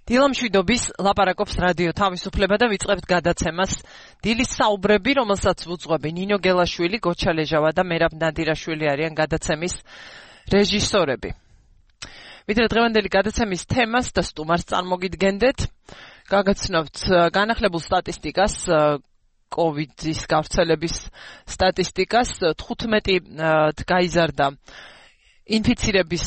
დილამშვიდობის ლაპარაკობს რადიო თავისუფლება და ვიწყებთ გადაცემას დილის საუბრები, რომელსაც ვუძღვები ნინო გელაშვილი, გოჩა ლეჟავა და მერაბ ნადირაშვილი არიან გადაცემის რეჟისორები. ვიდრე დღევანდელი გადაცემის თემას და სტუმარს წარმოგიდგენდეთ, გაგაცნობთ განახლებულ სტატისტიკას, COVID-ის გავრცელების სტატისტიკას, 15 გაიზარდა ინფიცირების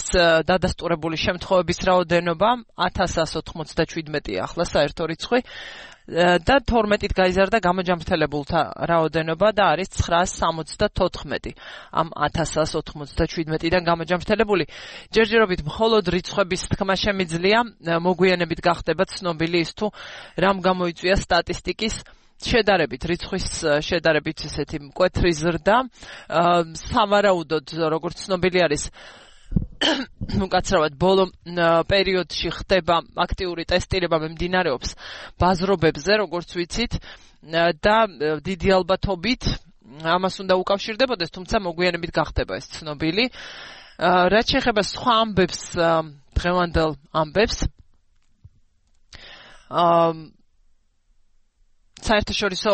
დადასტურებული შემთხვევების რაოდენობა 1197 ახლა საერთო რიცხვი და 12 გაიზარდა გამოჯანმრთელებულთა რაოდენობა და არის 974 ამ 1197-დან გამოჯანმრთელებული. ჯერჯერობით მხოლოდ რიცხვების თქმა შემიძლია, მოგვიანებით გახდება ცნობილი ის თუ რამ გამოიწვია სტატისტიკის შედარებით რიცხვის შედარებით ესეთი მკვეთრი ზრდა სავარაუდოდ როგორც ცნობილი არის უკაცრავად ბოლო პერიოდში ხდება აქტიური ტესტირება მიმდინარეობს ბაზრობებზე როგორც ვიცით და დიდი ალბათობით ამას უნდა უკავშირდებოდეს თუმცა მოგვიანებით გახდება ეს ცნობილი რაც შეეხება სხვა ამბებს დღევანდელ ამბებს საერთაშორისო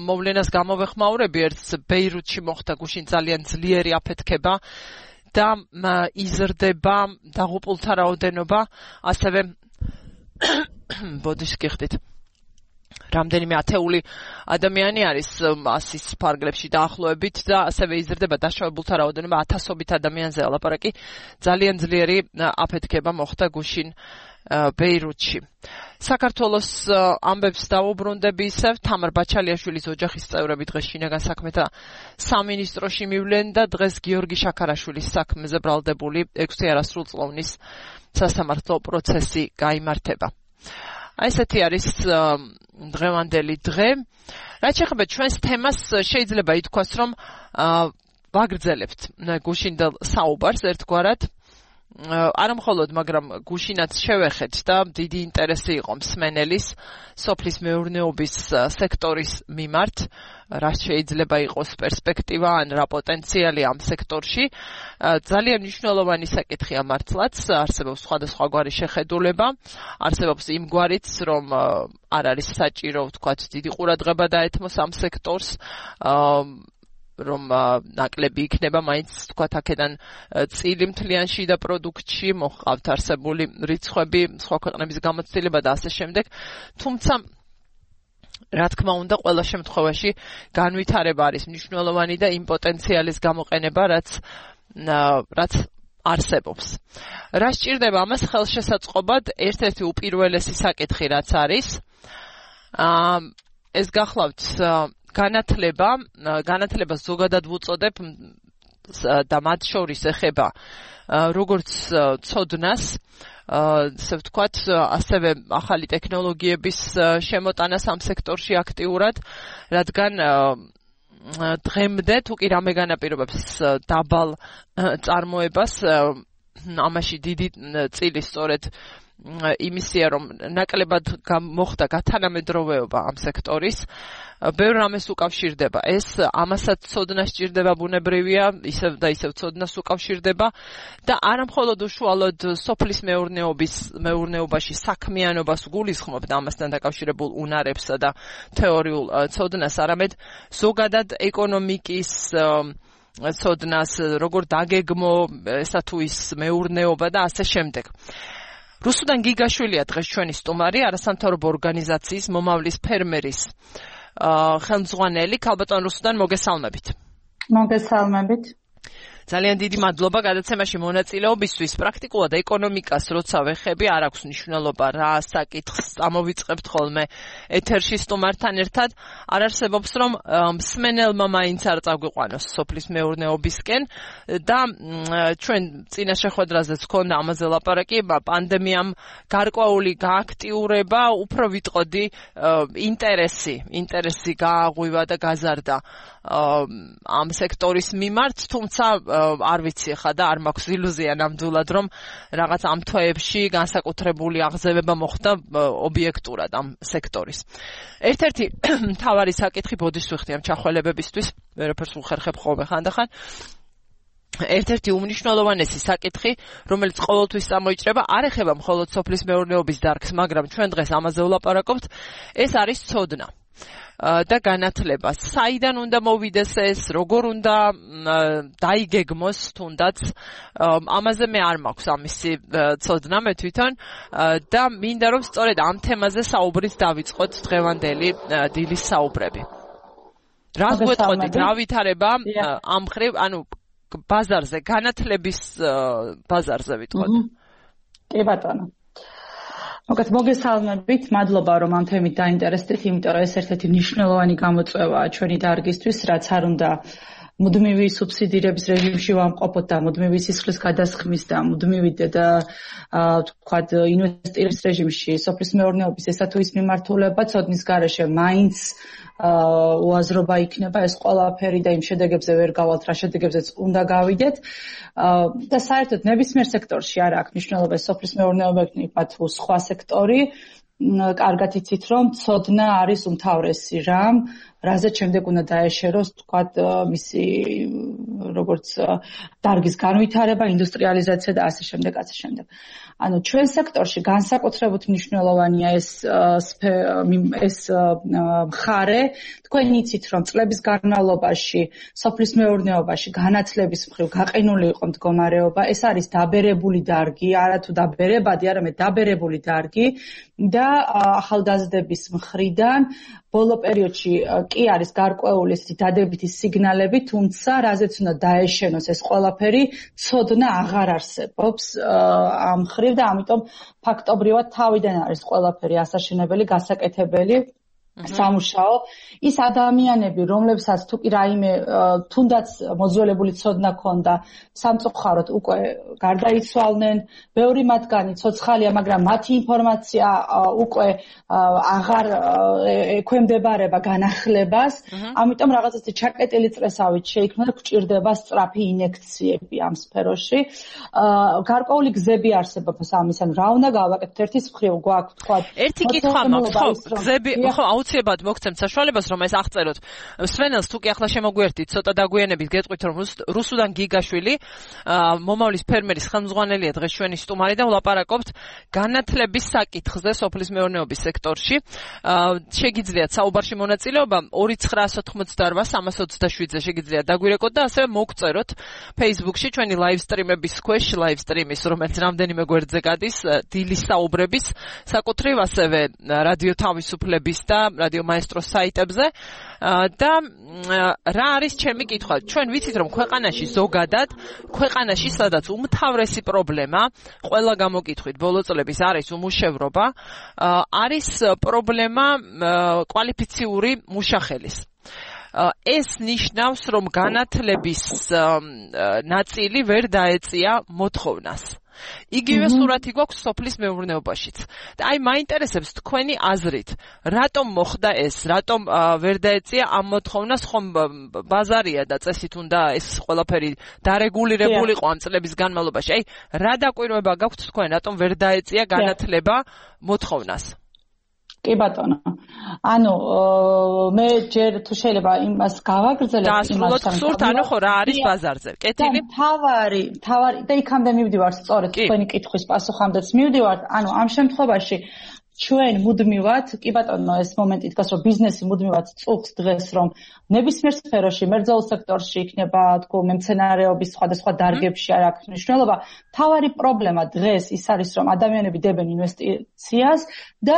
მოვლენას გამოვეხმაურები ერთს ბეირუთში მოხდა გუშინ ძალიან ძლიერი აფეთქება და იზრდება დაღუპულთა რაოდენობა ასევე ბოდიშს გიხდით რამდენიმე ათეული ადამიანი არის 100-ის ფარგლებში დაახლოებით და ასევე იზრდება დაშავებულთა რაოდენობა ათასობით ადამიანზეა ლაპარაკი ძალიან ძლიერი აფეთქება მოხდა გუშინ ბეირუთში. საქართველოს ამბებს დავუბრუნდები ისევ თამარ ბაჩალიშვილის ოჯახის წევრები დღეს შინაგან საქმეთა სამინისტროში მივლენ და დღეს გიორგი შაქარაშვილის საქმეზე ბრალდებული 6 არასრულწლოვნის სასამართლო პროცესი გაიმართება. ესეთი არის დღევანდელი დღე. რაც შეეხება ჩვენს თემას შეიძლება ითქვას რომ ვაგრძელებთ გუშინდელ საუბარს ერთგვარად არა მხოლოდ, მაგრამ გუშინაც შევეხეთ და დიდი ინტერესი იყო მსმენელის სოფლის მეურნეობის სექტორის მიმართ, რაც შეიძლება იყოს პერსპექტივა ან რა პოტენციალი ამ სექტორში. ძალიან მნიშვნელოვანი საკითხია მართლაც, არსებობს სხვადასხვაგვარი შეხედულება, არსებობს იმ გვარიც, რომ არ არის საჭირო, ვთქვათ, დიდი ყურადღება დაეთმოს ამ სექტორს, რომ ნაკლები იქნება მაინც თქვათ აქედან წილი მთლიან შიდა პროდუქტში მოჰყავთ არსებული რიცხვები სხვა ქვეყნების გამოცდილება და ასე შემდეგ თუმცა რა თქმა უნდა ყველა შემთხვევაში განვითარება არის მნიშვნელოვანი და იმ პოტენციალის გამოყენება რაც არსებობს რა სჭირდება ამას ხელშესაწყობად ერთ-ერთი უპირველესი საკითხი რაც არის ეს გახლავთ განათლება ზოგადად ვუწოდებ და მათ შორის ეხება როგორც ცოდნას ასე ვთქვათ ასევე ახალი ტექნოლოგიების შემოტანას ამ სექტორში აქტიურად რადგან დღემდე თუ კი რამე განაპირობებს დაბალ წარმოებას ამაში დიდი წილი სწორედ იმისია რომ ნაკლებად მოხდა გათანამედროვეობა ამ სექტორის ბევრ რამეს უკავშირდება ეს ამასაც ცოდნა სჭირდება ბუნებრივია ისევ და ისევ ცოდნას უკავშირდება და არა მხოლოდ უშუალოდ სოფლის მეურნეობაში საქმიანობას გულისხმობ და ამასთან დაკავშირებულ უნარებსა და თეორიულ ცოდნას არამედ ზოგადად ეკონომიკის ცოდნას როგორ დაგეგმო ესა თუ ის მეურნეობა და ასე შემდეგ რუსუდან გიგაშვილია დღეს ჩვენი სტუმარი არასამთავრობო ორგანიზაციის მომავლის ფერმერის ხელმძღვანელი ქალბატონ რუსუდან მოგესალმებით. მოგესალმებით. ძალიან დიდი მადლობა გადაცემაში მონაწილეობისთვის. პრაქტიკულად ეკონომიკას როცა ვეხები, არ აქვს მნიშვნელობა რა საკითხს ამოვიწყებთ ხოლმე ეთერში სტუმართან ერთად. არ არსებობს რომ მსმენელმა მაინც არ წაგვიყვანოს სოფლის მეურნეობისკენ და ჩვენ წინა შეხვედრაზეც ჰქონდა ამაზე ლაპარაკი, პანდემიამ გარკვეული გააქტიურება, უფრო ვიტყოდი ინტერესი გააღვივა და გაზარდა ამ სექტორის მიმართ, თუმცა არ ვიცი ხა და არ მაქვს ილუზია ნამდვილად რომ რაღაც ამ თვეებში განსაკუთრებული აღზევება მოხდა ობიექტურად ამ სექტორის. ერთ-ერთი მთავარი საკითხი ბოდის ვიხდი ამ ჩახველებებისთვის, ვერაფერს უხერხებ ხოლმე ხანდახან. ერთ-ერთი უმნიშვნელოვანესი საკითხი, რომელიც ყოველთვის წამოიჭრება, არ ეხება მხოლოდ სოფლის მეურნეობის დარგს, მაგრამ ჩვენ დღეს ამაზე ვლაპარაკობთ, ეს არის ცოდნა და განათლება. საიდან უნდა მოვიდეს ეს, როგორ უნდა დაიგეგმოს თუნდაც, ამაზე მე არ მაქვს ამისი ცოდნა მე თვითონ და მინდა რომ სწორედ ამ თემაზე საუბრით დავიწყოთ დღევანდელი დილის საუბრები. რას გვეტყოდით, რა ვითარება ამ ხრივ, ანუ ბაზარზე, განათლების ბაზარზე ვიტყოდ. კი ბატონო. მოგესალმებით, მადლობა რომ ამ თემით დაინტერესდით, იმიტომ რომ ეს ერთ-ერთი მნიშვნელოვანი გამოწვევაა ჩვენი დარგისთვის, რაც არ უნდა მუდმივი სუბსიდირების რეჟიმში ვამყოფოთ და მუდმივი სისხლის გადასხმის და მუდმივი და თქვათ ინვესტირების რეჟიმში სოფლის მეურნეობის ესა თუ ის მიმართულება ცოდნის გარეშე მაინც უაზრობა იქნება ეს ყველაფერი და იმ შედეგებზე ვერ გავალთ, რა შედეგებზეც უნდა გავიდეთ და საერთოდ ნებისმიერ სექტორში არ აქვს მნიშვნელობა სოფლის მეურნეობა იქნება თუ სხვა სექტორი. კარგად იცით რომ ცოდნა არის უმთავრესი რამ, რაზეც შემდეგ უნდა დაეშეროს თქვათ მისი როგორც დარგის განვითარება, ინდუსტრიალიზაცია და ასე შემდეგ, ასე შემდეგ. ანუ ჩვენ სექტორში განსაკუთრებით მნიშვნელოვანია ეს მხარე. თქვენ იცით რომ წლების განმავლობაში სოფლის მეურნეობაში განათლების მხრივ გაყინული იყო მდგომარეობა. ეს არის დაბერებული დარგი, არათუ დაბერებადი, არამედ დაბერებული დარგი და ახალგაზრდების მხრიდან ბოლო პერიოდში კი არის გარკვეული დადებითი სიგნალები, თუმცა რაზეც უნდა დაეშენოს ეს ყველაფერი, ცოდნა აღარ არსებობს ამ მხრივ და ამიტომ ფაქტობრივად თავიდან არის ყველაფერი ასაშენებელი, გასაკეთებელი. სამუშაო ის ადამიანები, რომლებსაც თუ კი რაიმე თუნდაც მოძველებული ცოდნა ქონდა, სამწუხაროდ უკვე გარდაიცვალნენ, ბევრი მათგანი ცოცხალია, მაგრამ მათი ინფორმაცია უკვე აღარ ექვემდებარება განახლებას, ამიტომ რაღაცა ჩაკეტილი წრესავით შეიქმნა და გვჭირდება სწრაფი ინიექციები ამ სფეროში. გარკვეული გზები არსებობს ამის, ანუ რა უნდა გავაკეთოთ, ერთის მხრივ გვაქვს თქვა ერთი კითხვა მაქვს, ხო, გზები, ხო, აუცილებლად მოგცემთ საშუალებას რომ ეს აღწეროთ. სვენელს თუ კი ახლა შემოგვიერთდით, ცოტა დაგვიანებით გეტყვით რომ რუსუდან გიგაშვილი, მომავლის ფერმერის ხელმძღვანელია დღეს ჩვენი სტუმარი და ვლაპარაკობთ განათლების საკითხზე სოფლის მეურნეობის სექტორში. შეგიძლიათ საუბარში მონაწილეობა 2988327-ზე შეგიძლიათ დაგვირეკოთ და ასევე მოგწეროთ Facebook-ში ჩვენი live stream-ების ქვეშ, live stream-ის, რომელიც რამდენიმე გვერდზე გადის, დილის საუბრების, საკუთრივ ასევე რადიო თავისუფლების და რადიო მაესტროს საიტებზე და რა არის ჩემი კითხვა? ჩვენ ვიცით რომ ქვეყანაში ზოგადად, ქვეყანაში სადაც უმთავრესი პრობლემა, ყველა გამოკითხვით ბოლო წლების არის უმუშევრობა, არის პრობლემა კვალიფიციური მუშახელის. ეს ნიშნავს რომ განათლების ნაწილი ვერ დაეწია მოთხოვნას. იგივე სურათი გვაქვს სოფლის მეურნეობაშიც. და აი მაინტერესებს თქვენი აზრით, რატომ მოხდა ეს, რატომ ვერ დაეწია ამ მოთხოვნას, ხომ ბაზარია და წესით უნდა ეს ყველაფერი დარეგულირებული იყო ამ წლების განმავლობაში. აი რა დაკვირვება გაქვთ თქვენ, რატომ ვერ დაეწია განათლება მოთხოვნას? კი ბატონო. ანუ მე ჯერ თუ შეიძლება იმას გავაგრძელებ იმას სურთ, ანუ ხო რა არის ბაზარზე? კეთილი? თავარი და იქამდე მივდივარ სწორედ თქვენი კითხვის პასუხამდეც მივდივარ. ანუ ამ შემთხვევაში ჩვენ მუდმივად, კი ბატონო, ეს მომენტი დგას, რომ ბიზნესი მუდმივად წუხს დღეს, რომ ნებისმიერ სფეროში, მებრძოლ სექტორში იქნება, თქო, მემცენარეობის სხვადასხვა დარგებში არ აქვს მნიშვნელობა. თავარი პრობლემა დღეს ის არის, რომ ადამიანები დებენ ინვესტიციას და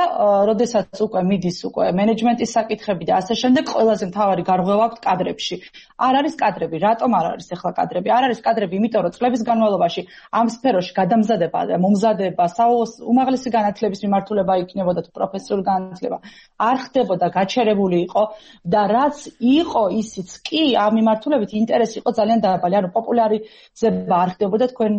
როდესაც უკვე მიდის უკვე მენეჯმენტის საკითხები და ასე შემდეგ, ყველაზე მთავარი გარღვევა აქვს კადრებში. არ არის კადრები, რატომ არ არის ახლა კადრები? არ არის კადრები, იმიტომ რომ წლების განმავლობაში ამ სფეროში გადამზადება და მომზადება, უმაღლესი განათლების მიმართულება იქნებოდა თუ პროფესიული განათლება არ ხდებოდა, გაჩერებული იყო და რაც იყო ისიც კი ამ მიმართულებით ინტერესი იყო ძალიან დაბალი, ანუ პოპულარიზება არ ხდებოდა. თქვენ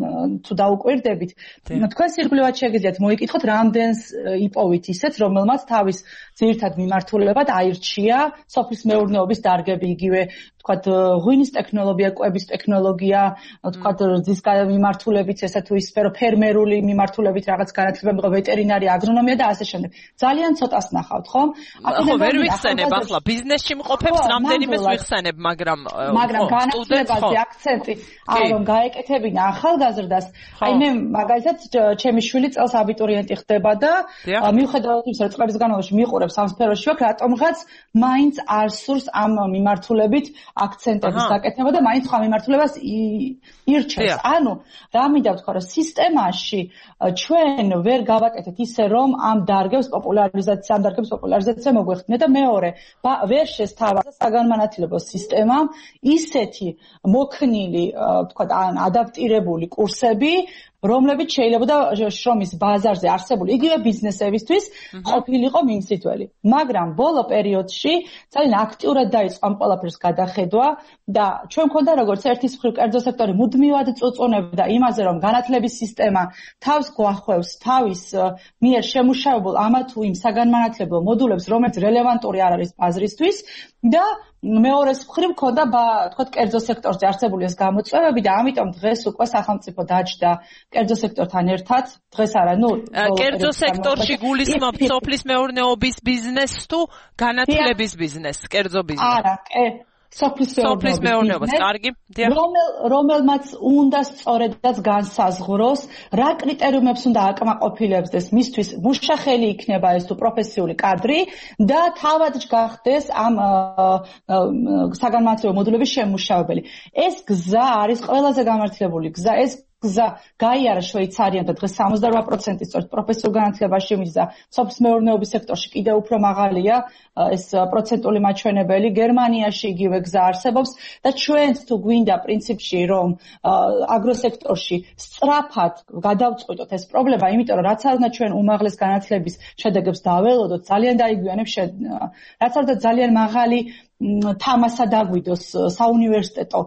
თუ დაუკვირდებით, თქვენ სირგლივად შეგიძლიათ მოიკითხოთ, რამდენს იპოვით ისეთ, რომელმაც თავის ძირითად მიმართულებად აირჩია სოფლის მეურნეობის დარგები, იგივე თქვათ ღვინის ტექნოლოგია, კვების ტექნოლოგია, თქვათ რძის მიმართულებით, ესა თუ ის სფერო, ფერმერული მიმართულებით რაღაც განათლება, ვეტერინარი, აგრონომია და ასე შემდეგ. ძალიან ცოტას ნახავთ, ხო? ხო, ვერ ვიხსენებ ახლა ბიზნესში მყოფებს რამდენიმეს ვიხსენებ, მაგრამ განათლებაზე აქცენტი რომ გაეკეთებინა ახალგაზრდას. აი მე მაგალითად ჩემი შვილი წელს აბიტურიენტი ხდება და მიუხედავად იმისა, რომ წლების განმავლობაში მიყურებს ამ სფეროში ვაქვს, რატომღაც მაინც არ სურს ამ მიმართულებით აქცენტების გაკეთება და მაინც სხვა მიმართულებას ირჩევს. ანუ რა მინდა ვთქვა, რომ სისტემაში ჩვენ ვერ გავაკეთეთ ისე, რომ ამ დარგების პოპულარიზაცია მოგვეხდინა და მეორე, ვერ შესთავაზა საგანმანათლებლო სისტემამ ისეთი მოქნილი, თქვა, ადაპტირებული კურსები, რომლებიც შეიძლება შრომის ბაზარზე არსებული იგივე ბიზნესებისთვის ყოფილიყო მიმსითველი. მაგრამ ბოლო პერიოდში ძალიან აქტიურად დაიწყო ამ ყველაფერს გადახედვა და ჩვენ მქონდა როგორც ერთის მხრივ კერძო სექტორი მუდმივად წუწუნებდა იმაზე, რომ განათლების სისტემა თავს გვახვევს თავის მიერ შემუშავებულ ამა თუ იმ საგანმანათლებლო მოდულებს, რომელიც რელევანტური არ არის ბაზრისთვის და მეორეს მხრივ მქონდა თქვა კერძო სექტორზე არსებული ეს გამოწვევები და ამიტომ დღეს უკვე სახელმწიფო დაჯდა კერძო სექტორთან ერთად დღეს არა კერძო სექტორში გულისხმობთ სოფლის მეურნეობის ბიზნესს თუ განათლების ბიზნესს კერძო ბიზნესს არა სოფლის მეურნეობას კარგი რომელმაც უნდა სწორედაც განსაზღვროს რა კრიტერიუმებს უნდა აკმაყოფილებდეს მისთვის მუშახელი იქნება ეს თუ პროფესიული კადრი და თავად გახდეს ამ საგანმანათლებლო მოდულების შემმუშავებელი ეს გზა არის ყველაზე გამართლებული გზა ეს გზა გაიარა შვეიცარიამ და დღეს 78% სწორედ პროფესიულ განათლებაში მისცა სოფლის მეურნეობის სექტორში კიდევ უფრო მაღალია ეს პროცენტული მაჩვენებელი გერმანიაში იგივე გზა არსებობს და ჩვენც თუ გვინდა პრინციპში რომ აგროსექტორში სწრაფად გადავწყვიტოთ ეს პრობლემა იმიტომ რომ რაც არ უნდა ჩვენ უმაღლეს განათლების შედეგებს დაველოდოთ ძალიან დაიგვიანებს რაც არ უნდა ძალიან მაღალი თამასა დაგვიდოს საუნივერსიტეტო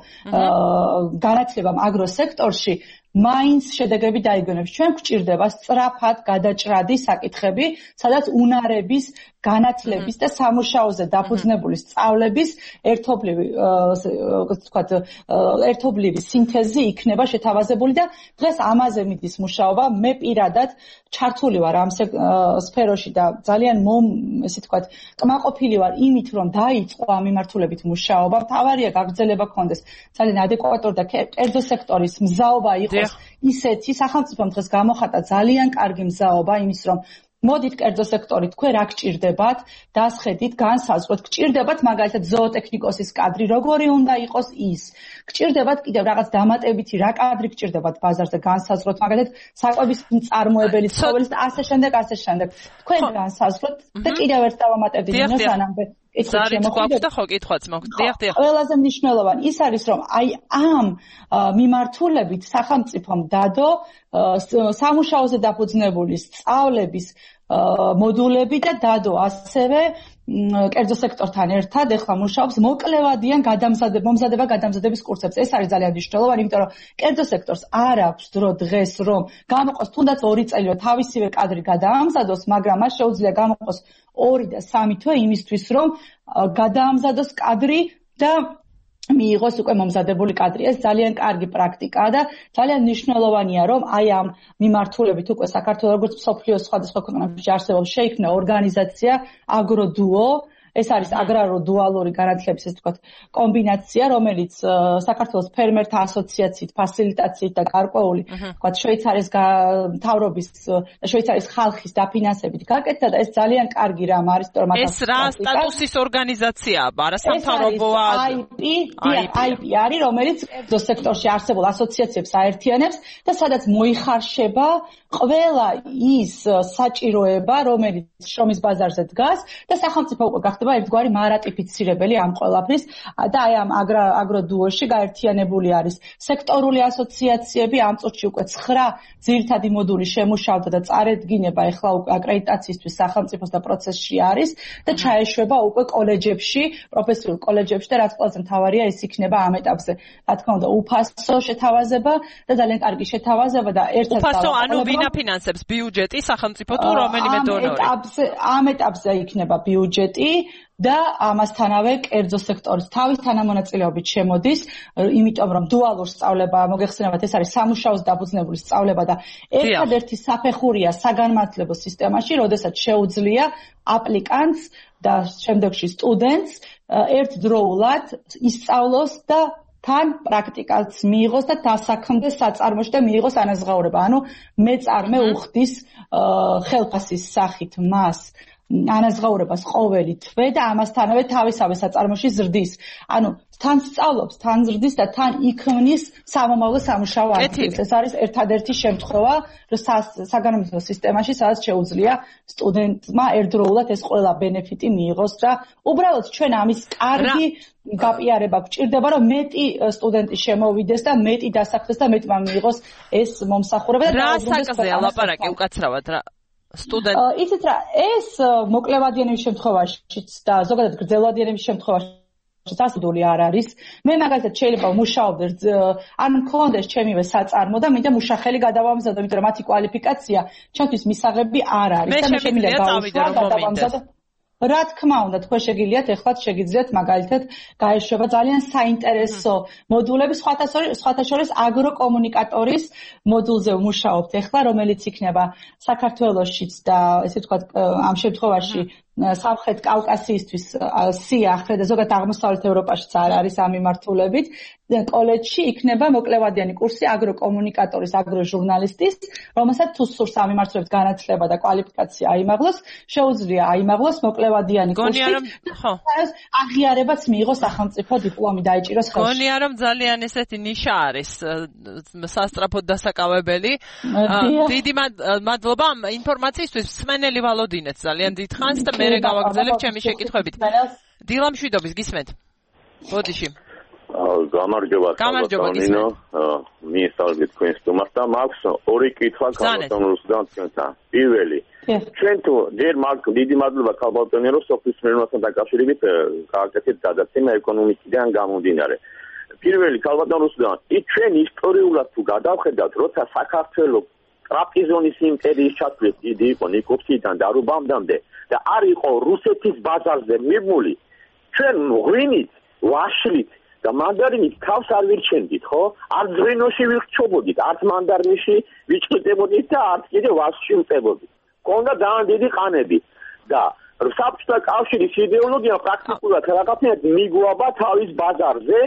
განათლებამ აგროსექტორში მაინც შედეგები დაიგონებს. ჩვენ გვჭირდება სწრაფად გადაჭრადი საკითხები, სადაც უნარების, განათლების და სამუშაოზე დაფუძნებული სწავლების ერთობლივი სინთეზი იქნება შეთავაზებული და დღეს ამაზე მიდის მუშაობა. მე პირადად ჩართული ვარ ამ სფეროში და ძალიან ესე ვთქვათ, კმაყოფილი ვარ იმით, რომ დაიწყო ამ მიმართულებით მუშაობა. მთავარია გაგრძელება გქონდეს ძალიან ადეკვატური და კერძო სექტორის მზაობა იყოს ისეთი სახელმწიფომ დღეს გამოხატა ძალიან კარგი მზაობა იმის რომ მოდით კერძო სექტორი თქვენ რა გჭირდებათ დასხედით განსაზღვროთ გჭირდებათ მაგალითად ზოოტექნიკოსის კადრი როგორი უნდა იყოს ის გჭირდებათ კიდევ რაღაც დამატებითი რა კადრი გჭირდებათ ბაზარზე განსაზღვროთ მაგალითად საკვების მწარმოებელი ცხოველის და ასე შემდეგ თქვენ განსაზღვროთ და კიდევ ერთ დავამატებდი სანამდე ყველაზე მნიშვნელოვანი ის არის რომ აი ამ მიმართულებით სახელმწიფომ დადო სამუშაოზე დაფუძნებული სწავლების მოდულები და დადო ასევე კერძო სექტორთან ერთად ეხლა მუშაობს მოკლევადიან მომზადება გადამზადების კურსებს. ეს არის ძალიან მნიშვნელოვანი, იმიტომ რომ კერძო სექტორს არ აქვს დრო დღეს რომ გამოყოს თუნდაც 2 წელი რომ თავისივე კადრი გადაამზადოს, მაგრამ მას შეუძლია გამოყოს 2 და 3 თვე იმისთვის რომ გადაამზადოს კადრი და მიიღოს უკვე მომზადებული კადრი. ეს ძალიან კარგი პრაქტიკაა და ძალიან მნიშვნელოვანია რომ აი ამ მიმართულებით უკვე საქართველოს როგორც მსოფლიოს სხვადასხვა ქვეყნებში არსებობს შეიქმნა ორგანიზაცია აგროდუო ეს არის აგრარო-დუალური განათლების ეს თქვა კომბინაცია, რომელიც საქართველოს ფერმერთა ასოციაციით, ფასილიტაციით და გარკვეული თქვა შვეიცარიის მთავრობის და შვეიცარიის ხალხის დაფინანსებით გაკეთდა და ეს ძალიან კარგი რამ არის, რომ ეს რა სტატუსის ორგანიზაციაა? არასამთავრობოა? IP არის, რომელიც კერძო სექტორში არსებულ ასოციაციებს აერთიანებს და სადაც მოიხარშება ყველა ის საჭიროება, რომელიც შრომის ბაზარზე დგას და სახელმწიფო უკვე გახდება ერთგვარი მარატიფიცირებელი ამ ყველაფრის და აი ამ აგროდუოში გაერთიანებული არის სექტორული ასოციაციები ამ წუთში უკვე 9 ძირითადი მოდული შემუშავდა და წარედგინება ეხლა უკვე აკრედიტაციისთვის სახელმწიფოს და პროცესში არის და ჩაეშვება უკვე კოლეჯებში, პროფესიულ კოლეჯებში და რაც ყველაზე მთავარია ის იქნება ამ ეტაპზე. რა თქმა უნდა, უფასო შეთავაზება და ძალიან კარგი შეთავაზება და ერთად უფასო ანუ ვინ აფინანსებს ბიუჯეტი სახელმწიფო თუ რომელიმე დონორი? ამ ეტაპზე იქნება ბიუჯეტი და ამასთანავე კერძო სექტორის თავის თანამონაწილეობით შემოდის, იმიტომ რომ დუალურ სწავლება, მოგეხსენებათ, ეს არის სამუშაოს დაფუძნებული სწავლება და ერთადერთი საფეხურია საგანმანათლებლო სისტემაში, როდესაც შეუძლია აპლიკანტს და შემდეგში სტუდენტს ერთდროულად ისწავლოს და თან პრაქტიკაც მიიღოს და დასაქმდეს საწარმოში და მიიღოს ანაზღაურება. ანუ მეწარმე უხდის ხელფასის სახით მას ანაზღაურებას ყოველი თვე და ამასთანავე თავისავე საწარმოში ზრდის. ანუ თან სწავლობს, თან ზრდის და თან იქმნის სამომავლო სამუშაო ადგილს. ეს არის ერთადერთი შემთხვევა საგანმანათლებლო სისტემაში, სადაც შეუძლია სტუდენტმა ერთდროულად ეს ყველა ბენეფიტი მიიღოს და უბრალოდ ჩვენ ამის კარგი გაპიარება გვჭირდება, რომ მეტი სტუდენტი შემოვიდეს და მეტი დასაქმდეს და მეტმა მიიღოს ეს მომსახურება და რა საკაზეა ლაპარაკი უკაცრავად რა იცით რა, ეს მოკლევადიანების შემთხვევაშიც და ზოგადად გრძელვადიანების შემთხვევაშიც ასდული არ არის. მე მაგალითად შეიძლება ვმუშაობდე, ან მქონდეს ჩემივე საწარმო და მინდა მუშახელი გადავამზადო, იმიტომ რომ მათი კვალიფიკაცია ჩემთვის მისაღები არ არის და მე შემიძლია გავუშვა გადავამზადო. რა თქმა უნდა, თქვენ შეგიძლიათ ეხლა შეგიძლიათ მაგალითად გაეშვება ძალიან საინტერესო მოდულები, სხვათა შორის აგროკომუნიკატორის მოდულზე ვმუშაობთ ეხლა, რომელიც იქნება საქართველოშიც და ესე ვთქვათ, ამ შემთხვევაში სამხრეთ კავკასიისთვის სიახლე და ზოგადად აღმოსავლეთ ევროპაშიც არ არის ამ მიმართულებით. კოლეჯში იქნება მოკლევადიანი კურსი აგროკომუნიკატორის, აგროჟურნალისტის, რომელსაც თუ სურს ამ მიმართულებით განათლება და კვალიფიკაცია აიმაღლოს, შეუძლია აიმაღლოს მოკლევადიანი კურსი. აღიარებაც მიიღოს სახელმწიფო დიპლომი დაიჭიროს ხელში. გონია რომ ძალიან ესეთი ნიშა არის სასწრაფოდ დასაკავებელი. დიდი მადლობა ინფორმაციისთვის. მსმენელი ვალოდინეთ ძალიან დიდხანს და მე გავაგრძელებ ჩემი შეკითხვებით. დილა მშვიდობის გისმენთ. ბოდიში. გამარჯობა კალბატონინო, მიესალმებით თქვენ სტუმარს და მაქვს ორი კითხვა კალბატონოსგან თქვენთან. პირველი, ჩვენ თუ ჯერ მაქვს დიდი მადლობა კალბატონინო, რომ სოფლის მეურნეობასთან დაკავშირებით გააკეთეთ გადაცემა ეკონომიკიდან გამომდინარე. პირველი კალბატონოსგან, ჩვენ ისტორიულად თუ გადავხედავთ, როცა საქართველოს ტრაპიზონის იმპერიის ჩათვლით დიდი იყო ნიკოპსიდან და რუბამდამდე და არ იყო რუსეთის ბაზარზე მიბმული, ჩვენ ღვინით, ვაშლით და მანდარინით თავს არ ვირჩენდით, ხო? არც ღვინოში ვირჩობოდით, არც მანდარინში ვიჭყდებოდით და არც კიდე ვაშლში ვწებოდით. გქონდა ძალიან დიდი ყანები და საბჭოთა კავშირის იდეოლოგია პრაქტიკულად რაღაცნაირად მიგვაბა თავის ბაზარზე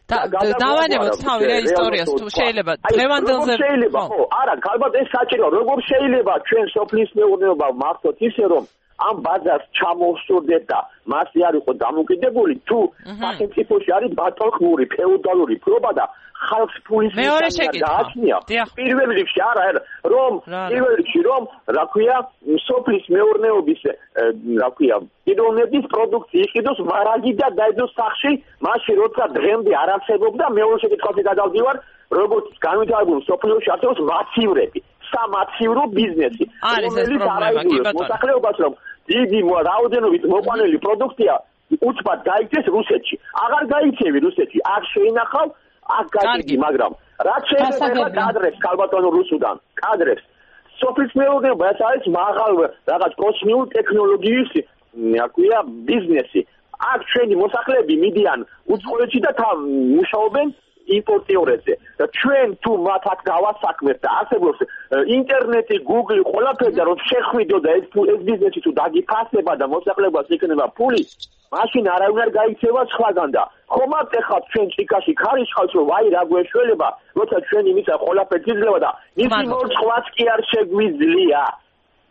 და დავანებოთ თავი რა ისტორიას თუ შეიძლება დღევანდელზე შეიძლება ხო არა ალბათ ეს საჭირო როგორ შეიძლება ჩვენ სოფლის მეურნეობა მართოთ ისე რომ ამ ბაზარს ჩამოვსურდეთ და მასზე არ იყო დამოკიდებული თუ სახელმწიფოში არის ბატონყმური ფეოდალური ფლობა და ხალხს ფულის გააჩნია პირველ რიგში არა რომ პირველ რიგში რომ რა ქვია სოფლის მეურნეობის რა ქვია პიროვნების პროდუქცია იყიდოს მარაგი და დაედოს სახში მაშინ როცა დღემდე არ არსებობდა მეორე შეკითხვაზე გადავდივარ როგორც განვითარებული სოფლიოში არსებობს მაცივრები სამაცივრო ბიზნესი რომელიც არაიდუმლოს მოსახლეობას რომ დიდი რაოდენობით მოყვანილი პროდუქცია უცბად გაიქცეს რუსეთში აღარ გაიქცევი რუსეთში არ შეინახავ აქ გაიგე მაგრამ რაც შეიძლება კადრებს ქალბატონო რუსუდან კადრებს სოფლის მეურნეობა ეს არის მაღალ რაღაც კოსმოსური ტექნოლოგიის აკვია ბიზნესი აქ ჩვენი მოსახლეები მიდიან უცხოეთში და მუშაობენ იმპორტიორებზე და ჩვენ თუ მათ აქ გავასაქმებთ და არსებობს ინტერნეტი, გუგლი, ყველაფერი და რომ შეხვიდო და ეს ბიზნესი თუ დაგიფასება და მოსახლეობას იქნება ფული, მაშინ არავინ არ გაიქცევა სხვაგან და ხომ არ ეხავთ ჩვენ ჭიქაში ხარიშხავს რომ აი რა გვეშველება, როცა ჩვენი მისა ყველაფერი იძლევა და მისი მოწყვლაც კი არ შეგვიძლია.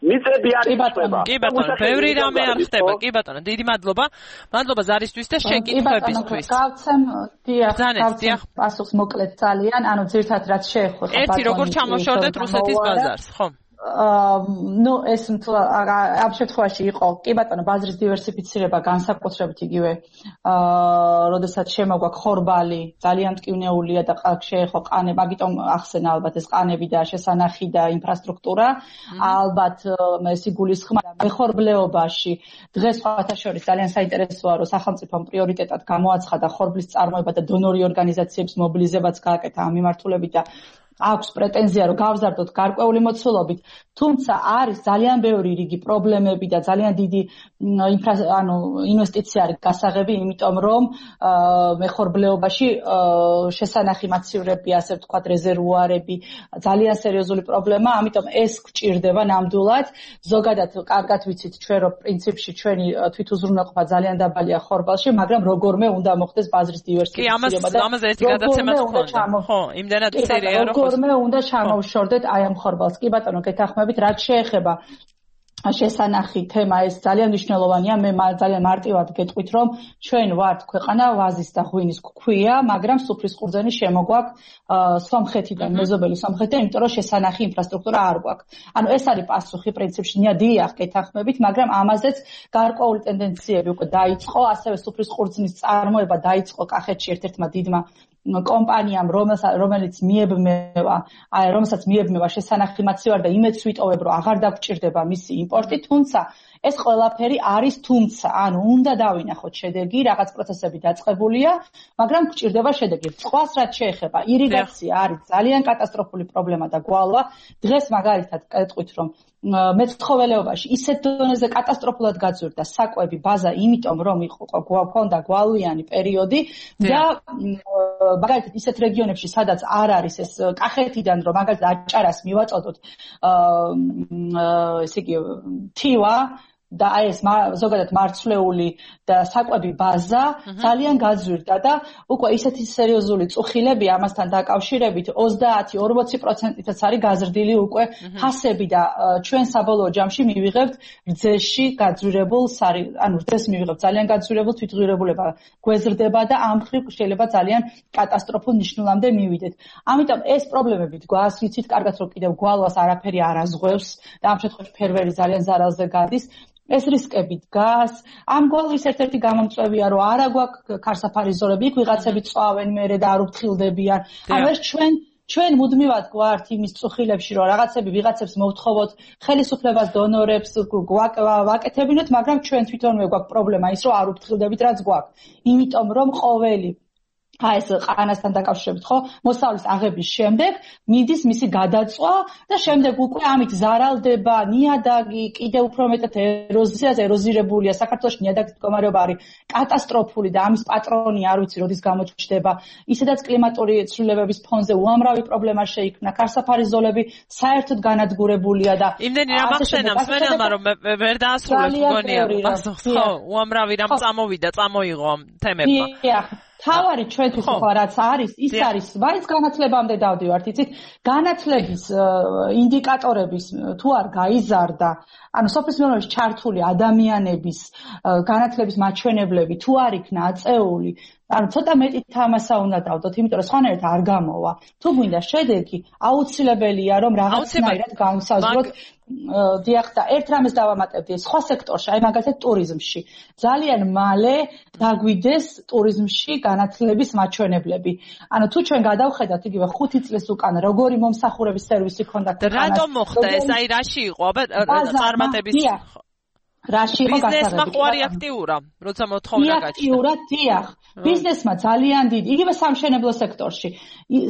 მიწები არ იხდება. კი ბატონო, ბევრი რამე არ ხდება. კი ბატონო, დიდი მადლობა. მადლობა ზარისთვის და შეკითხვებისთვის. გავცემ დიახ, პასუხს მოკლედ ძალიან, ანუ ძირთად რაც შეეხო. ერთი როგორ ჩამოშორდეთ რუსეთის ბაზარს, ხო? ნუ ეს ამ შემთხვევაში იყო კი ბატონო ბაზრის დივერსიფიცირება განსაკუთრებით იგივე როდესაც შემოგვა ხორბალი ძალიან მტკივნეულია და შეეხო ყანები მაგიტომ ახსენა ალბათ ეს ყანები და შესანახი და ინფრასტრუქტურა ალბათ ეს იგულისხმება მეხორბლეობაში დღეს სხვათა შორის ძალიან საინტერესოა რომ სახელმწიფომ პრიორიტეტად გამოაცხადა ხორბლის წარმოება და დონორი ორგანიზაციების მობილიზებაც გააკეთა ამ მიმართულებით და აქვს პრეტენზია რომ გავზარდოთ გარკვეული მოცულობით, თუმცა არის ძალიან ბევრი რიგი პრობლემები და ძალიან დიდი ინვესტიცია არის გასაღები, იმიტომ რომ მეხორბლეობაში შესანახი მაცივრები, ასე ვთქვათ, რეზერვუარები, ძალიან სერიოზული პრობლემა, ამიტომ ეს გჭირდება ნამდვილად. ზოგადად კარგად ვიცით ჩვენ რომ პრინციპში ჩვენი თვითუზრუნველყოფა ძალიან დაბალია ხორბალში, მაგრამ როგორმე უნდა მოხდეს ბაზრის დივერსიფიცირება და ამაზე ერთი გადაცემაც ხონდა. ხო, იმდენად სერია რომ როგორმე უნდა ჩამოვშორდეთ აი ამ ხორბალს. კი ბატონო, გეთანხმებით, რაც შეეხება შესანახი თემა ეს ძალიან მნიშვნელოვანია. მე ძალიან მარტივად გეტყვით, რომ ჩვენ ვართ ქვეყანა ვაზის და ღვინის გქვია, მაგრამ სუფრის ყურძენი შემოგვაქვს სომხეთიდან, მეზობელი სომხეთიდან, იმიტომ რომ შესანახი ინფრასტრუქტურა არ გვაქვს. ანუ ეს არის პასუხი პრინციპში, დიახ, გეთანხმებით, მაგრამ ამაზეც გარკვეული ტენდენციები უკვე დაიწყო, ასევე სუფრის ყურძნის წარმოება დაიწყო კახეთში ერთ-ერთმა დიდმა კომპანიამ, რომელსაც მიებმევა შესანახი მაცივარი და იმედს ვიტოვებ, რომ აღარ დაგჭირდება მისი იმპორტი, თუმცა ეს ყველაფერი არის თუმცა, ანუ უნდა დავინახოთ შედეგი, რაღაც პროცესები დაწყებულია, მაგრამ გჭირდება შედეგი. სხვას რაც შეეხება, ირიგაცია არის ძალიან კატასტროფული პრობლემა და გვალვა. დღეს მაგალითად გეტყვით, რომ მეცხოველეობაში ისეთ დონეზე კატასტროფულად გაძვირდა საკვები ბაზა, იმიტომ რომ გვქონდა გვალვიანი პერიოდი და მაგალითად ისეთ რეგიონებში, სადაც არ არის ეს კახეთიდან, რომ მაგალითად აჭარას მივაწოდოთ, ესე იგი თივა და აი ეს ზოგადად მარცვლეული და საკვები ბაზა ძალიან გაძვირდა და უკვე ისეთი სერიოზული წუხილები ამასთან დაკავშირებით 30-40%-იც არის გაზრდილი უკვე ფასები და ჩვენ საბოლოო ჯამში მივიღებთ რძეში გაძვირებულ რძეს მივიღებთ ძალიან გაძვირებულ თვითღირებულება გვეზრდება და ამ ხრივ შეიძლება ძალიან კატასტროფულ ნიშნულამდე მივიდეთ. ამიტომ ეს პრობლემები დგას, ვიცით კარგად რომ კიდევ გვალვას არაფერი არ აზღვევს და ამ შემთხვევაში ფერმერი ძალიან ზარალზე გადის. ეს რისკები დგას. ამ გვალვის ერთ-ერთი გამომწვევია, რომ არა გვაქვს ქარსაფარი ზოლები, იქ ვიღაცები წვავენ მერე და არ უფრთხილდებიან. ანუ ეს ჩვენ მუდმივად გვართ იმის წუხილებში, რომ რაღაცები ვიღაცებს მოვთხოვოთ, ხელისუფლებას დონორებს ვაკეთებინოთ, მაგრამ ჩვენ თვითონვე გვაქვს პრობლემა ის, რომ არ უფრთხილდებით რაც გვაქვს. იმიტომ რომ ყოველი აი ეს ყანასთან დაკავშირებით, ხო, მოსავლის აღების შემდეგ მიდის მისი გადაწვა და შემდეგ უკვე ამით ზარალდება ნიადაგი, კიდევ უფრო მეტად ეროზირებულია. საქართველოში ნიადაგის მდგომარეობა არის კატასტროფული და ამის პატრონი არ ვიცი როდის გამოჩნდება. ისედაც კლიმატური ცვლილებების ფონზე უამრავი პრობლემა შეიქმნა. ქარსაფარი ზოლები საერთოდ განადგურებულია და იმდენი რამ ახსენა მსმენელმა, რომ ვერ დაასრულებს მგონია პასუხს, ხო, უამრავი რამ წამოიღო ამ თემებმა. თავარი ჩვენთვის ხო რაც არის, ის არის, მაინც განათლებამდე დავდივართ, იცით, განათლების ინდიკატორების თუ არ გაიზარდა, ანუ სოფლის მეურნეობაში ჩართული ადამიანების განათლების მაჩვენებლები თუ არ იქნა აწეული, ანუ ცოტა მეტი თამასა უნდა დავდოთ, იმიტომ რომ სხვანაირად არ გამოვა. თუ გვინდა შედეგი, აუცილებელია რომ რაღაცნაირად განსაზღვროთ. დიახ და ერთ რამეს დავამატებდი სხვა სექტორში, აი მაგალითად ტურიზმში. ძალიან მალე დაგვიდეს ტურიზმში განათლების მაჩვენებლები. ანუ თუ ჩვენ გადავხედავთ იგივე 5 წლის უკან როგორი მომსახურების სერვისი ქონდა ქვეყანას. რატომ მოხდა ეს? აი რაში იყო? წარმატების რაში იყო გასაღები? ბიზნესმა ყوارი აქტიურა, როცა მოთხოვნა გაჩნდა. აქტიურად, დიახ. ბიზნესმა ძალიან დიდი, იგივე სამშენებლო სექტორში.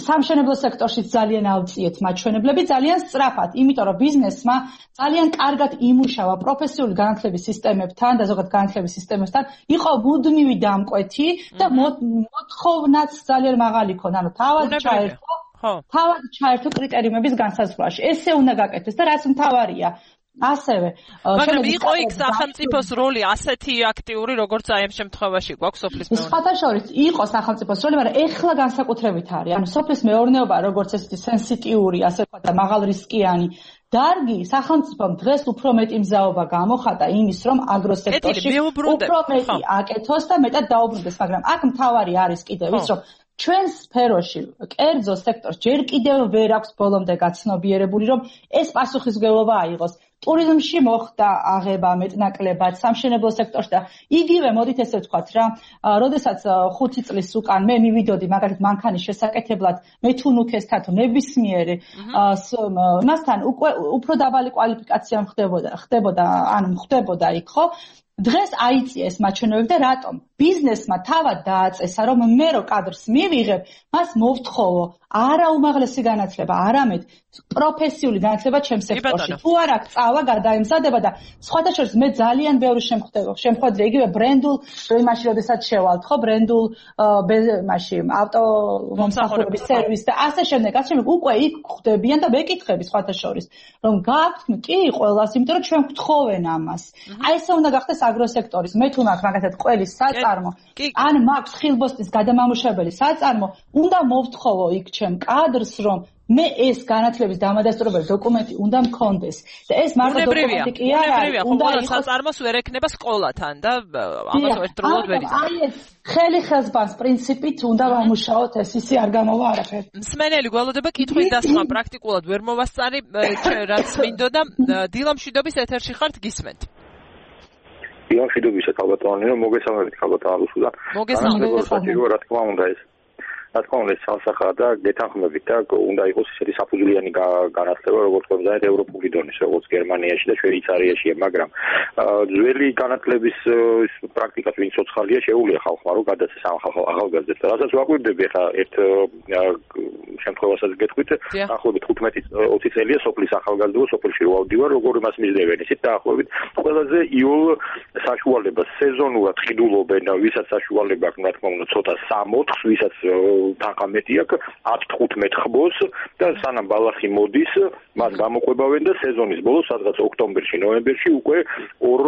სამშენებლო სექტორშიც ძალიან ავწიეთ მაჩვენებლები, ძალიან სწრაფად, იმიტომ რომ ბიზნესმა ძალიან კარგად იმუშავა პროფესიული განათლების სისტემებთან და ზოგადად განათლების სისტემებთან, იყო მუდმივი დამკვეთი და მოთხოვნაც ძალიან მაღალი ქონდა, ანუ თავად ჩაერთო კრიტერიუმების განსაზღვრაში. ესე უნდა გაკეთდეს და რაც მთავარია ასევე მაგრამ იყო იქ სახელმწიფოს როლი ასეთი აქტიური როგორც აი ამ შემთხვევაში გვაქვს სოფლის მეურნეობა. სხვათა შორის იყო სახელმწიფოს როლი, მაგრამ ეხლა განსაკუთრებით არის. ანუ სოფლის მეურნეობა როგორც ესეთი სენსიტიური, ასე ვთქვათ და მაღალრისკიანი დარგი სახელმწიფომ დღეს უფრო მეტი მზაობა გამოხატა იმის, რომ აგროსექტორში უფრო მეტი აკეთოს და მეტად დაუბრუნდეს, მაგრამ აქ მთავარი არის კიდევ ის, რომ ჩვენ სფეროში, კერძო სექტორს ჯერ კიდევ ვერ აქვს ბოლომდე გაცნობიერებული, რომ ეს პასუხისმგებლობა აიღოს. ტურიზმში მოხდა აღება მეტნაკლებად, სამშენებლო სექტორში და იგივე მოდით ესე ვთქვათ რა, როდესაც 5 წლის უკან მე მივიდოდი მაგალითად მანქანის შესაკეთებლად, მე თუ ნუქესთან თუ ნებისმიერი მასთან უფრო დაბალი კვალიფიკაცია ხდებოდა იქ, ხო? დღეს აიწია ეს მაჩვენებლები და რატომ? ბიზნესმა თავად დააწესა, რომ მე რო კადრს მივიღებ, მას მოვთხოვო არა უმაღლესი განათლება, არამედ პროფესიული განათლება ჩემს სექტორში. თუ არ აქვს წავა გადაემზადება და სხვათა შორის მე ძალიან ბევრი შემხვედრია იგივე ბრენდულ იმაში, როდესაც შევალთ, ხო, ბრენდულ იმაში ავტომომსახურების სერვისს და ასე შემდეგ, უკვე იქ ხვდებიან და მეკითხები სხვათა შორის, რომ გააქვთ კი ყველას, იმიტომ რომ ჩვენ გვთხოვენ ამას. აი ესე უნდა გახდეს აგროსექტორის. მე თუ მაქვს მაგათად ყველის საწარმო, ან მაქვს ხილბოსტის გადამამუშავებელი საწარმო, უნდა მოვთხოვო იქ ჩემ კადრს, რომ მე ეს განათლების დამადასტურებელი დოკუმენტი უნდა მქონდეს და ეს მარტო დოკუმენტი კი არ არის, უნდა იყოს საწარმოს ვერ ექნება სკოლათან და ამას ერთდროულად ვერ იცის. აი ეს ხელი ხელს ბანს პრინციპით უნდა ვამუშაოთ, ეს ისე არ გამოვა არაფერი. მსმენელი გველოდება კითხვის დასმა პრაქტიკულად ვერ მოვასწარი, რაც მინდოდა. დილამ შვიდობის ეთერში ხართ, გისმენთ. დილამ შვიდობისა ქალბატონო, მოგესალმებით ქალბატონო რუსუდან. მოგესალმებით. რა თქმა უნდა ეს რა თქმა უნდა სამსახა და გეთანხმებით და უნდა იყოს ისეთი საფუძვლიანი განათლება როგორც გვამზადეთ ევროპული დონის, როგორც გერმანიაში და შვეიცარიაშია, მაგრამ ძველი განათლების პრაქტიკას ვინც ცოცხალია შეუძლია ხალხმა რომ გადაცეს ამ ახალგაზრდებს. რასაც ვაკვირდები ახლა ერთ შემთხვევასაც გეტყვით, დაახლოებით 15-20 წელია სოფლის ახალგაზრდობა სოფელში რო ავდივარ, როგორ იმას მისდევენ, ისეთ დაახლოებით ყველაზე იოლ საშუალებას სეზონურად ყიდულობენ, ვისაც საშუალება აქვს, რა თქმა უნდა, ცოტა 3-4, ვისაც თანხა მეტი აქვს 10-15 ხბოს და სანამ ბალახი მოდის, მას გამოყვებავენ და სეზონის ბოლოს, სადღაც ოქტომბერში, ნოემბერში უკვე ორ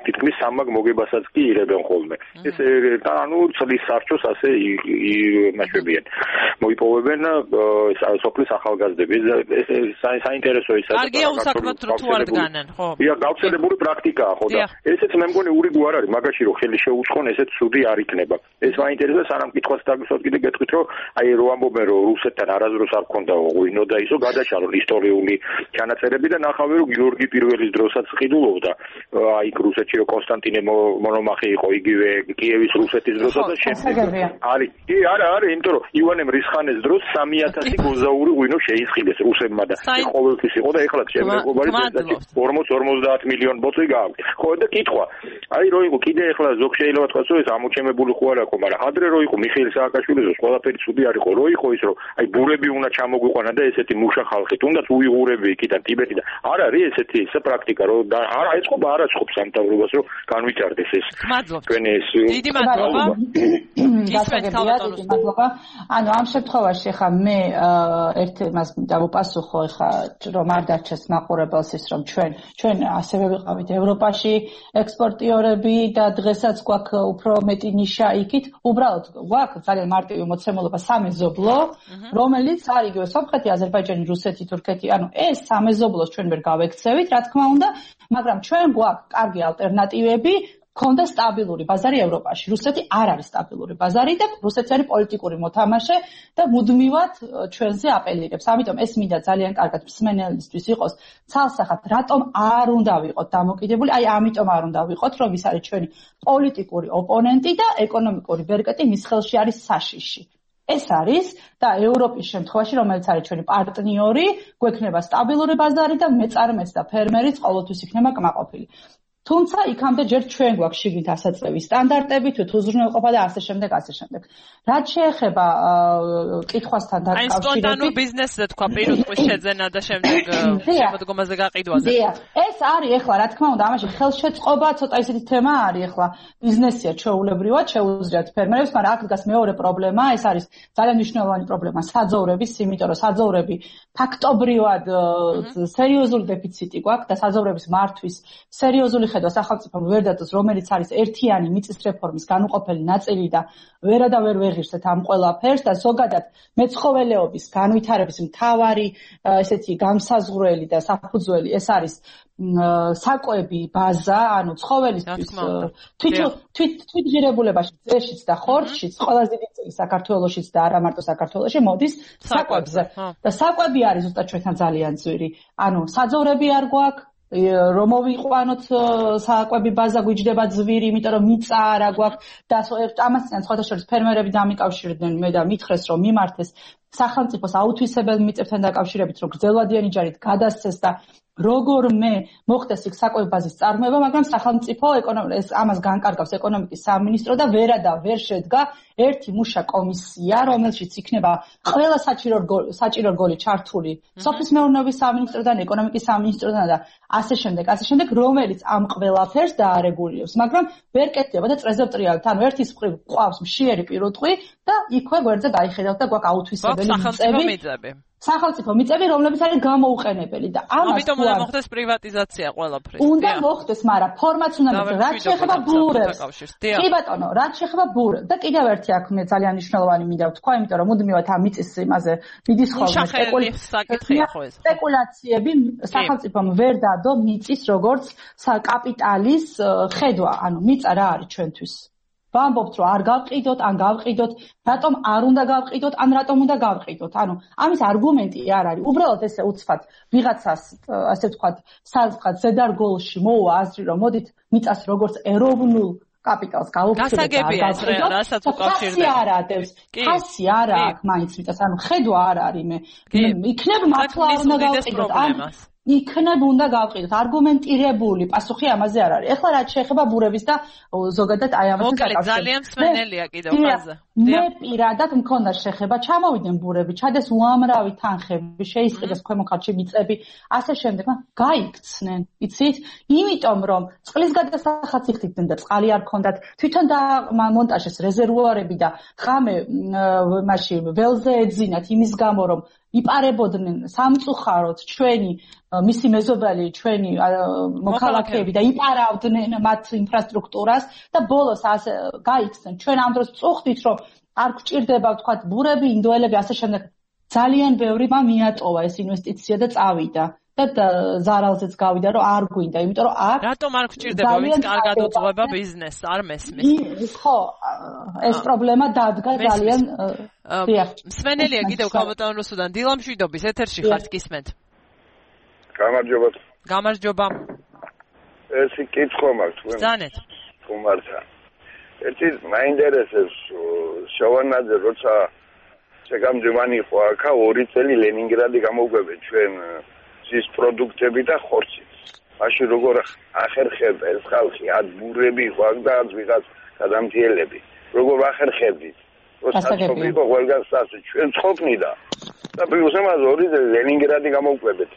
თითქმის 3 მაგ მოგებასაც კი იღებენ ხოლმე. ეს ანუ წლის სარჩოს ასე იმაშვებიან. მოიპოვებენ სოფლის ახალგაზრდები. ეს საინტერესო ის არის. კარგია უსაქმოდ თუ არ დგანან, ხო? ია, გავრცელებული პრაქტიკაა, ხო და ესეც მე მგონი ურიგო არ არის, მაგაში რომ ხელი შეუწყონ, ესეც ცუდი არ იქნება. ეს მაინტერესებს, სანამ კითხვას დაგისვათ კიდე გეტყვით, რომ აი რო ამბობენ, რომ რუსეთთან არასდროს არ ქონდა ღვინო და ისო გადაშალონ ისტორიული ჩანაწერები და ნახავენ, რომ გიორგი პირველის დროსაც ყიდულობდა. აი რუსეთში რომ კონსტანტინე მონომახე იყო, იგივე კიევის რუსეთის დროსაც და შემდეგ არის. კი, არა, იმიტომ რომ ივანე მრისხანეს დროს 3000 გოზაური ღვინო შეისყიდეს რუსებმა და ყოველთვის იყო და ეხლა შემდეგობარი 40-50 მილიონი ბოთლი გააქვთ. ხო და კითხვა. აი რო იყო კიდე ეხლა ზოგ შეიძლება თქვას, რომ ეს ამოჩემებული ხო არ აქვს, მაგრამ ადრე რო იყო მიხეილ სააკაშვილის ყველაფერი ცუდი არ იყო, რო იყო ის რომ აი ბურები უნდა ჩამოგვიყვანა და ესეთი მუშა ხალხი, თუნდაც უიღურები იქიდან ტიბეტიდან. არ არის ესეთი პრაქტიკა, რომ არა ეწყობა არაცხობს სამთავრობას, რომ განვითარდეს ეს. თქვენი ეს დიდი მადლობა. მადლობა. ანუ ამ შემთხვევაში ხა მე ერთ მას დავუპასუხო ხა რომ არ დარჩეს მაყურებელს ის რომ ჩვენ ასევე ვიყავით ევროპაში ექსპორტიორები და დღესაც გვაქვს უფრო მეტი ნიშა იქით. უბრალოდ გვაქვს ძალიან მარტივი მოცემულობა სამეზობლო, რომელიც არის იგივე სომხეთი, აზერბაიჯანი, რუსეთი, თურქეთი. ანუ ეს სამეზობლოს ჩვენ ვერ გავექცევით, რა თქმა უნდა, მაგრამ ჩვენ გვაქვს კარგი ალტერნატივები. ქონდა სტაბილური ბაზარი ევროპაში. რუსეთი არ არის სტაბილური ბაზარი და რუსეთი არის პოლიტიკური მოთამაშე და მუდმივად ჩვენზე აპელირებს. ამიტომ ეს მინდა ძალიან კარგად მსმენელისთვის იყოს ცალსახად, რატომ არ უნდა ვიყოთ დამოკიდებული, აი ამიტომ არ უნდა ვიყოთ, რომ ის არის ჩვენი პოლიტიკური ოპონენტი და ეკონომიკური ბერკეტი მის ხელში არის საშიში. ეს არის და ევროპის შემთხვევაში, რომელიც არის ჩვენი პარტნიორი, გვექნება სტაბილური ბაზარი და მეწარმეც და ფერმერიც ყოველთვის იქნება კმაყოფილი. თუმცა იქამდე ჯერ ჩვენ გვაქვს შიგნით ასაწევი სტანდარტები, თუ უზრუნველყოფა და ასე შემდეგ. რაც შეეხება კითხვასთან დაკავშირებით, აი სპონტანურ ბიზნესზე თქვა პირუტყვის შეძენა და შემდეგ შემოდგომაზე გაყიდვაზე. ეს არის ახლა რა თქმა უნდა, ამაში ხელშეწყობა ცოტა ისეთი თემა არის ახლა. ბიზნესია ჩვეულებრივად შეუძლიათ ფერმერებს, მაგრამ აქ დგას მეორე პრობლემა, ეს არის ძალიან მნიშვნელოვანი პრობლემა საძოვრების, იმიტომ რომ საძოვრები ფაქტობრივად სერიოზული დეფიციტი გვაქვს და საძოვრების მართვის სერიოზული ხედვა სახელმწიფომ ვერ დაწოს, რომელიც არის ერთიანი მიწის რეფორმის განუყოფელი ნაწილი და ვერა და ვერ ვეღირსეთ ამ ყველაფერს და ზოგადად მეცხოველეობის განვითარების მთავარი ესეთი განსაზღვრელი და საფუძველი ეს არის საკვები ბაზა, ანუ ცხოველისთვის თვითღირებულებაში, ძეშიც და ხორცშიც, ყველაზე დიდი წილი საქართველოშიც და არა მარტო საქართველოში მოდის საკვებზე. და საკვები არის ზუსტად ჩვენთან ძალიან ძვირი. ანუ საძოვრები არ გვაქვს, რომ მოვიყვანოთ საკვები ბაზა გვიჯდება ძვირი, იმიტომ რომ მიწა არ გვაქვს და ამასთან სხვათა შორის ფერმერები დამიკავშირდნენ მე და მითხრეს რომ მიმართეს სახელმწიფოს აუთვისებელ მიწებთან დაკავშირებით, რომ გრძელვადიანი ჯარით გადასცეს და როგორმე მოხდეს იქ საკვები ბაზის წარმოება, მაგრამ სახელმწიფო ამას განკარგავს ეკონომიკის სამინისტრო და ვერ შედგა ერთი მუშა კომისია, რომელშიც იქნება ყველა საჭირო რგოლი ჩართული სოფლის მეურნეობის სამინისტროდან, ეკონომიკის სამინისტროდან და ასე შემდეგ, რომელიც ამ ყველაფერს დაარეგულირებს, მაგრამ ვერ კეთდება და წრეზე ვტრიალთ, ანუ ერთის მხრივ ყავს მშიერი პირუტყვი და იქვე გვერდზე დაიხედავთ და გვაქვს აუთვისებელი მიწები. სახელმწიფო მიწები, რომლებიც არის გამოუყენებელი და ამიტომ უნდა მოხდეს პრივატიზაცია ყველაფრის. უნდა მოხდეს, მაგრამ ფორმაც უნდა მოხდეს, რაც შეეხება ბურებს. კი ბატონო, რაც შეეხება ბურებს და კიდევ ერთი აქ მე ძალიან მნიშვნელოვანი მინდა ვთქვა, იმიტომ რომ მუდმივად ამ მიწის იმაზე მიდის ხოლმე სპეკულაციები, სახელმწიფომ ვერ დადო მიწის როგორც კაპიტალის ხედვა, ანუ მიწა რა არის ჩვენთვის. ვამბობთ, რომ არ გავყიდოთ, ან გავყიდოთ, რატომ არ უნდა გავყიდოთ, ან რატომ უნდა გავყიდოთ. ანუ ამის არგუმენტი არ არის. უბრალოდ ესე უცბად ვიღაცას, ასე ვთქვათ, საზღად ზედარგოლში მოუვა აზრი, რომ მოდით მიწას როგორც ეროვნულ კაპიტალს გავუხსნით. გასაგებია ეს რასაც უკავშირდება. ხასი არა აქვს მაინც მიწას, ანუ ხედვა არ არის მე. იქნებ მართლა არ უნდა გავყიდოთ. იქნებ უნდა გავყიდოთ. არგუმენტირებული პასუხი ამაზე არ არის. ეხლა რაც შეეხება ბურების და ზოგადად აი ამას საკავშირს. ძალიან მსმენელია კიდევ ხაზე. მე პირადად მქონდა შეხება, ჩამოვიდნენ ბურები, ჩადეს უამრავი თანხები, შეისყიდეს ქვემო ხარჯი მიწები, ასე შემდეგ, გაიქცნენ, იცით? იმიტომ რომ წყლის გადასახადს იხდიდნენ და წყალი არ ქონდათ, თვითონ დამონტაჟეს რეზერვუარები და ღამე მაშინ ველზე ეძინათ იმის გამო რომ იპარებოდნენ სამწუხაროდ ჩვენი მისი მეზობელი ჩვენი მოქალაქეები და იპარავდნენ მათ ინფრასტრუქტურას და ბოლოს ასე გაიქცნენ. ჩვენ ამ დროს წუხდით რომ არ გვჭირდება ვთქვათ ბურები, ინდოელები ასე შემდეგ. ძალიან ბევრი მიატოვა ეს ინვესტიცია და წავიდა. და ზარალზეც გავიდა რომ არ გვინდა, იმიტომ რომ აქ რატომ არ გვჭირდება ვინც კარგად უძღვება ბიზნესს, არ მესმის. ხო, ეს პრობლემა დადგა ძალიან მსმენელია კიდევ ქალბატონ რუსუდან დილამშვიდობის ეთერში ხართ გისმენთ. გამარჯობა. გამარჯობა. ესი კითხვა მაქვს თქვენ. ბრძანეთ. თუმართა. ერთი მაინტერესებს შოვანაძე როცა შეგამძიმანი ხო აქა 2 წელი ლენინგრადი გამოგვებენ ჩვენ ის პროდუქტები და ხორცი. მაშინ როგორ ახერხებდა ეს ხალხი ადბურები ხო და ვიღაც გადამთიელები. როგორ ახერხებდით? როცა იყო ყველგან სასე ჩვენ ცხობნი და პლუს ამაზე 2 წელი ლენინგრადი გამოგვებეთ.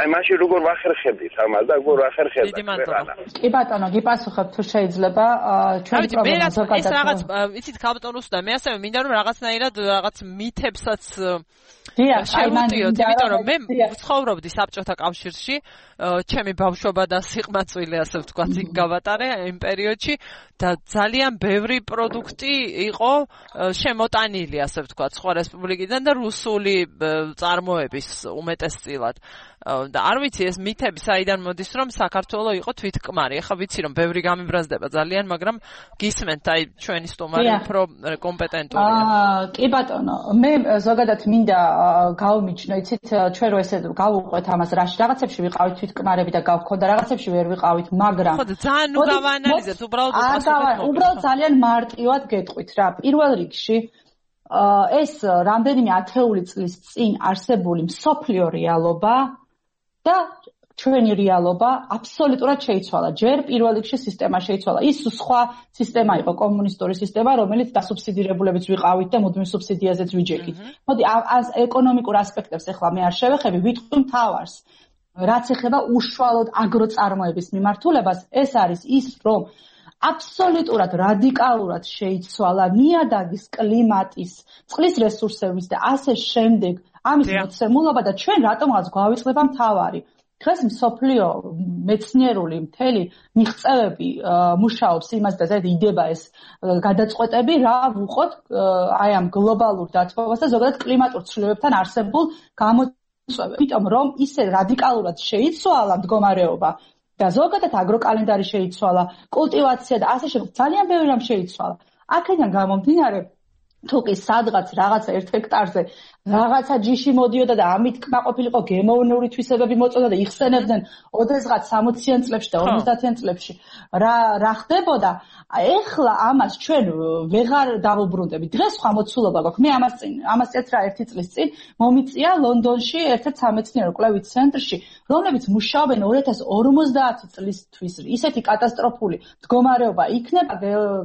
აი მაშინ როგორ ვახერხებდით ამას და როგორ ახერხებდა? კი ბატონო, გიპასუხებ თუ შეიძლება ჩვენი პრობლემა ზოგადად. ეს რაღაც იცით ქალბატონ რუსუდან მე ასევე მინდა რომ რაღაცნაირად რაღაც მითებსაც შევუტიოთ, იმიტომ რომ მე ვცხოვრობდი საბჭოთა კავშირში, ჩემი ბავშვობა და სიყმაწვილი ასე ვთქვათ იქ გავატარე იმ პერიოდში და ძალიან ბევრი პროდუქტი იყო შემოტანილი ასე ვთქვათ სხვა რესპუბლიკიდან და რუსული წარმოების უმეტესწილად. და არ ვიცი ეს მითები საიდან მოდის რომ საქართველოს იყო თვითკმარი. ეხლა ვიცი რომ ბევრი გამიბრაზდება ძალიან, მაგრამ გისმენთ აი ჩვენი სტუმარი უფრო კომპეტენტურია. კი ბატონო, მე ზოგადად მინდა გავმიჩნო, იცით, ჩვენ რო ესე გავუყვეთ ამას რაში რაღაცებში ვიყავით თვითკმარები და გავქონდა რაღაცებში ვერ ვიყავით, მაგრამ ხო და ძალიან ნუ გავაანალიზებთ, უბრალოდ ძალიან მარტივად გეტყვით რა. პირველ რიგში ეს რამდენიმე ათეული წლის წინ არსებული მსოფლიო რეალობა და ჩვენი რეალობა აბსოლუტურად შეიცვალა. ჯერ პირველ რიგში სისტემა შეიცვალა. ის სხვა სისტემა იყო, კომუნისტური სისტემა, რომელიც დასუბსიდირებულებით ვიყავით და მუდმივ სუბსიდიაზეც ვიჯექით. მოდი ეკონომიკურ ასპექტებს ახლა მე არ შევეხები, ვიტყვი მთავარს. რაც ეხება უშუალოდ აგროწარმოების მიმართულებას, ეს არის ის, რომ აბსოლუტურად რადიკალურად შეიცვალა ნიადაგის, კლიმატის, წყლის რესურსების და ასე შემდეგ ამის მოცემულობა და ჩვენ რატომღაც გვავიწყდება მთავარი. დღეს მსოფლიო მეცნიერული მთელი მიღწევები მუშაობს იმას და ზედ იდება ეს გადაწყვეტები რა ვუყოთ აი ამ გლობალურ დათბობას და ზოგადად კლიმატურ ცვლილებებთან არსებულ გამოწვევებს. იმიტომ რომ ისე რადიკალურად შეიცვალა მდგომარეობა და ზოგადად აგროკალენდარი შეიცვალა, კულტივაცია და ასე შემდეგ ძალიან ბევრი რამ შეიცვალა. აქედან გამომდინარე თუკი სადღაც რაღაცა 1 ჰექტარზე რაღაცა ჯიში მოდიოდა და ამით კმაყოფილიყო გემოვნური თვისებები მოწოდა და იხსენებდნენ ოდესღაც 60-იან წლებში და 50-იან წლებში რა ხდებოდა ეხლა ამას ჩვენ ვეღარ დავუბრუნდებით დღეს სხვა მოცულობა გვაქვს მე ამას წეც რა 1 წლის წინ მომიწია ლონდონში ერთ-ერთ სამეცნიერო კვლევით ცენტრში რომლებიც მუშაობენ 2050 წლისთვის ისეთი კატასტროფული მდგომარეობა იქნება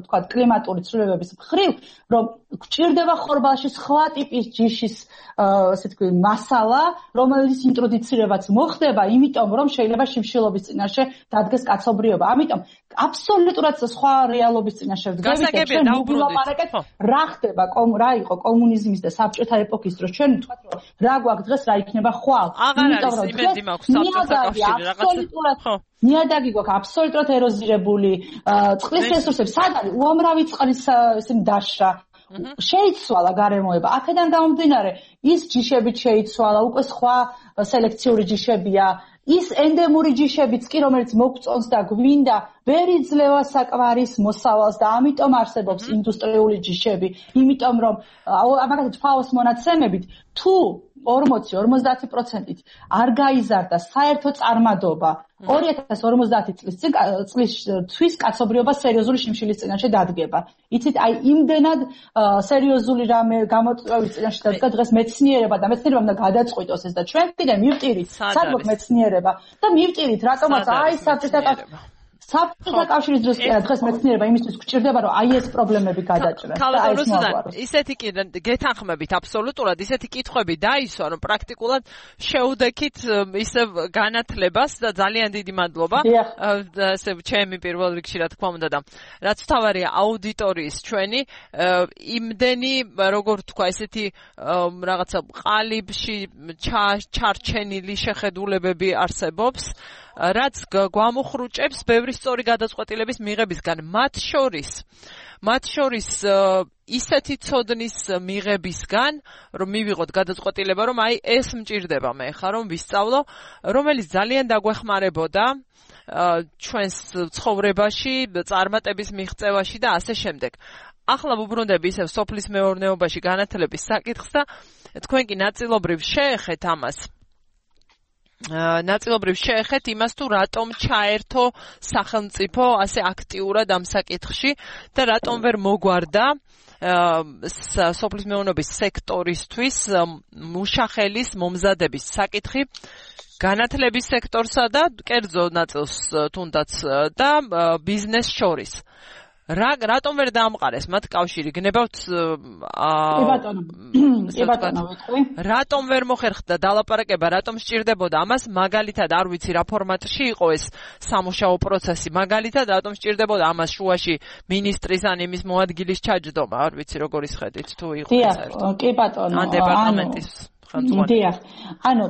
თქვა კლიმატური ცვლილებების მხრივ რომ გჭირდება ხორბალში სხვა ტიპის ჯიშის ასე თქვი მასალა რომელიც ინტროდუცირებაც მოხდება იმიტომ რომ შეიძლება შიმშილობის წინაშე დადგეს კაცობრიობა ამიტომ აბსოლუტურად სხვა რეალობის წინაშე ვდგებით ჩვენ მოვილაპარაკეთ რა ხდება რა იყო კომუნიზმის და საბჭოთა ეპოქის დროს ჩვენ ვთქვათ რომ რა გვაქვს დღეს რა იქნება ხვალ იმიტომ რომ იმედი მაქვს საბჭოთა კავშირი რაღაცა ნიადაგი გვაქვს აბსოლუტურად ეროზირებული წყლის რესურსები სად არის უამრავი წყლის ისინი დაშრა შეიცვალა გარემოება აქედან გამომდინარე ის ჯიშებით შეიცვალა უკვე სხვა სელექციური ჯიშებია ის ენდემური ჯიშებიც კი რომელიც მოგწონს და გვინდა ვერ იძლევა საკვარის მოსავალს და ამიტომ არსებობს ინდუსტრიული ჯიშები იმიტომ რომ მაგალითად FAO-ს მონაცემებით თუ 40-50%-ით არ გაიზარდა საერთო წარმადობა 2050 წლის კაცობრიობა სერიოზული შიმშილის წინაშე დადგება. იცით, აი იმდენად სერიოზული რამე გამოწვევის წინაშე დადგა დღეს მეცნიერება და მეცნიერება უნდა გადაწყვიტოს ეს და ჩვენ კიდე მივტირით, სად გვაქვს მეცნიერება და მივტირით, რატომაც აი საბჭოთა კავშირის დროს კი დღეს მეცნიერება იმისთვის გვჭირდება რომ აი ეს პრობლემები გადაჭრას და აი ეს მოაგვაროს. ისეთი კი გეთანხმებით აბსოლუტურად ისეთი კითხვები დაისვა რომ პრაქტიკულად შეუდექით ისევ განათლებას და ძალიან დიდი მადლობა ასე ჩემი პირველ რიგში რა თქმა უნდა და რაც თავარია აუდიტორიის ჩვენი იმდენი როგორ თქვა ესეთი რაღაცა ყალიბში ჩარჩენილი შეხედულებები არსებობს რაც გვამოხრუჭებს ბევრი სწორი გადაწყვეტილების მიღებისგან მათ შორის ისეთი ცოდნის მიღებისგან რომ მივიღოთ გადაწყვეტილება რომ აი ეს მჭირდება მე ხა რომ ვისწავლო რომელიც ძალიან დაგვეხმარებოდა ჩვენს ცხოვრებაში წარმატების მიღწევაში და ასე შემდეგ ახლა ვუბრუნდები ისევ სოფლის მეურნეობაში განათლების საკითხს და თქვენ კი ნაწილობრივ შეეხეთ ამას ნაწილობრივ შეეხეთ იმას თუ რატომ ჩაერთო სახელმწიფო ასე აქტიურად ამ საკითხში და რატომ ვერ მოგვარდა სოფლის მეურნეობის სექტორისთვის მუშახელის მომზადების საკითხი განათლების სექტორსა და კერძო ნაწილს თუნდაც და ბიზნეს შორის რატომ ვერ დაამყარეს მათ კავშირი გნებავთ რატომ ვერ მოხერხდა დალაპარაკება რატომ სჭირდებოდა ამას მაგალითად არ ვიცი რა ფორმატში იყო ეს სამუშაო პროცესი მაგალითად რატომ სჭირდებოდა ამას შუაში მინისტრის ან იმის მოადგილის ჩაჯდომა არ ვიცი როგორ ისხედით თუ იყო საერთოდ კი ბატონო ან დეპარტამენტის დიახ.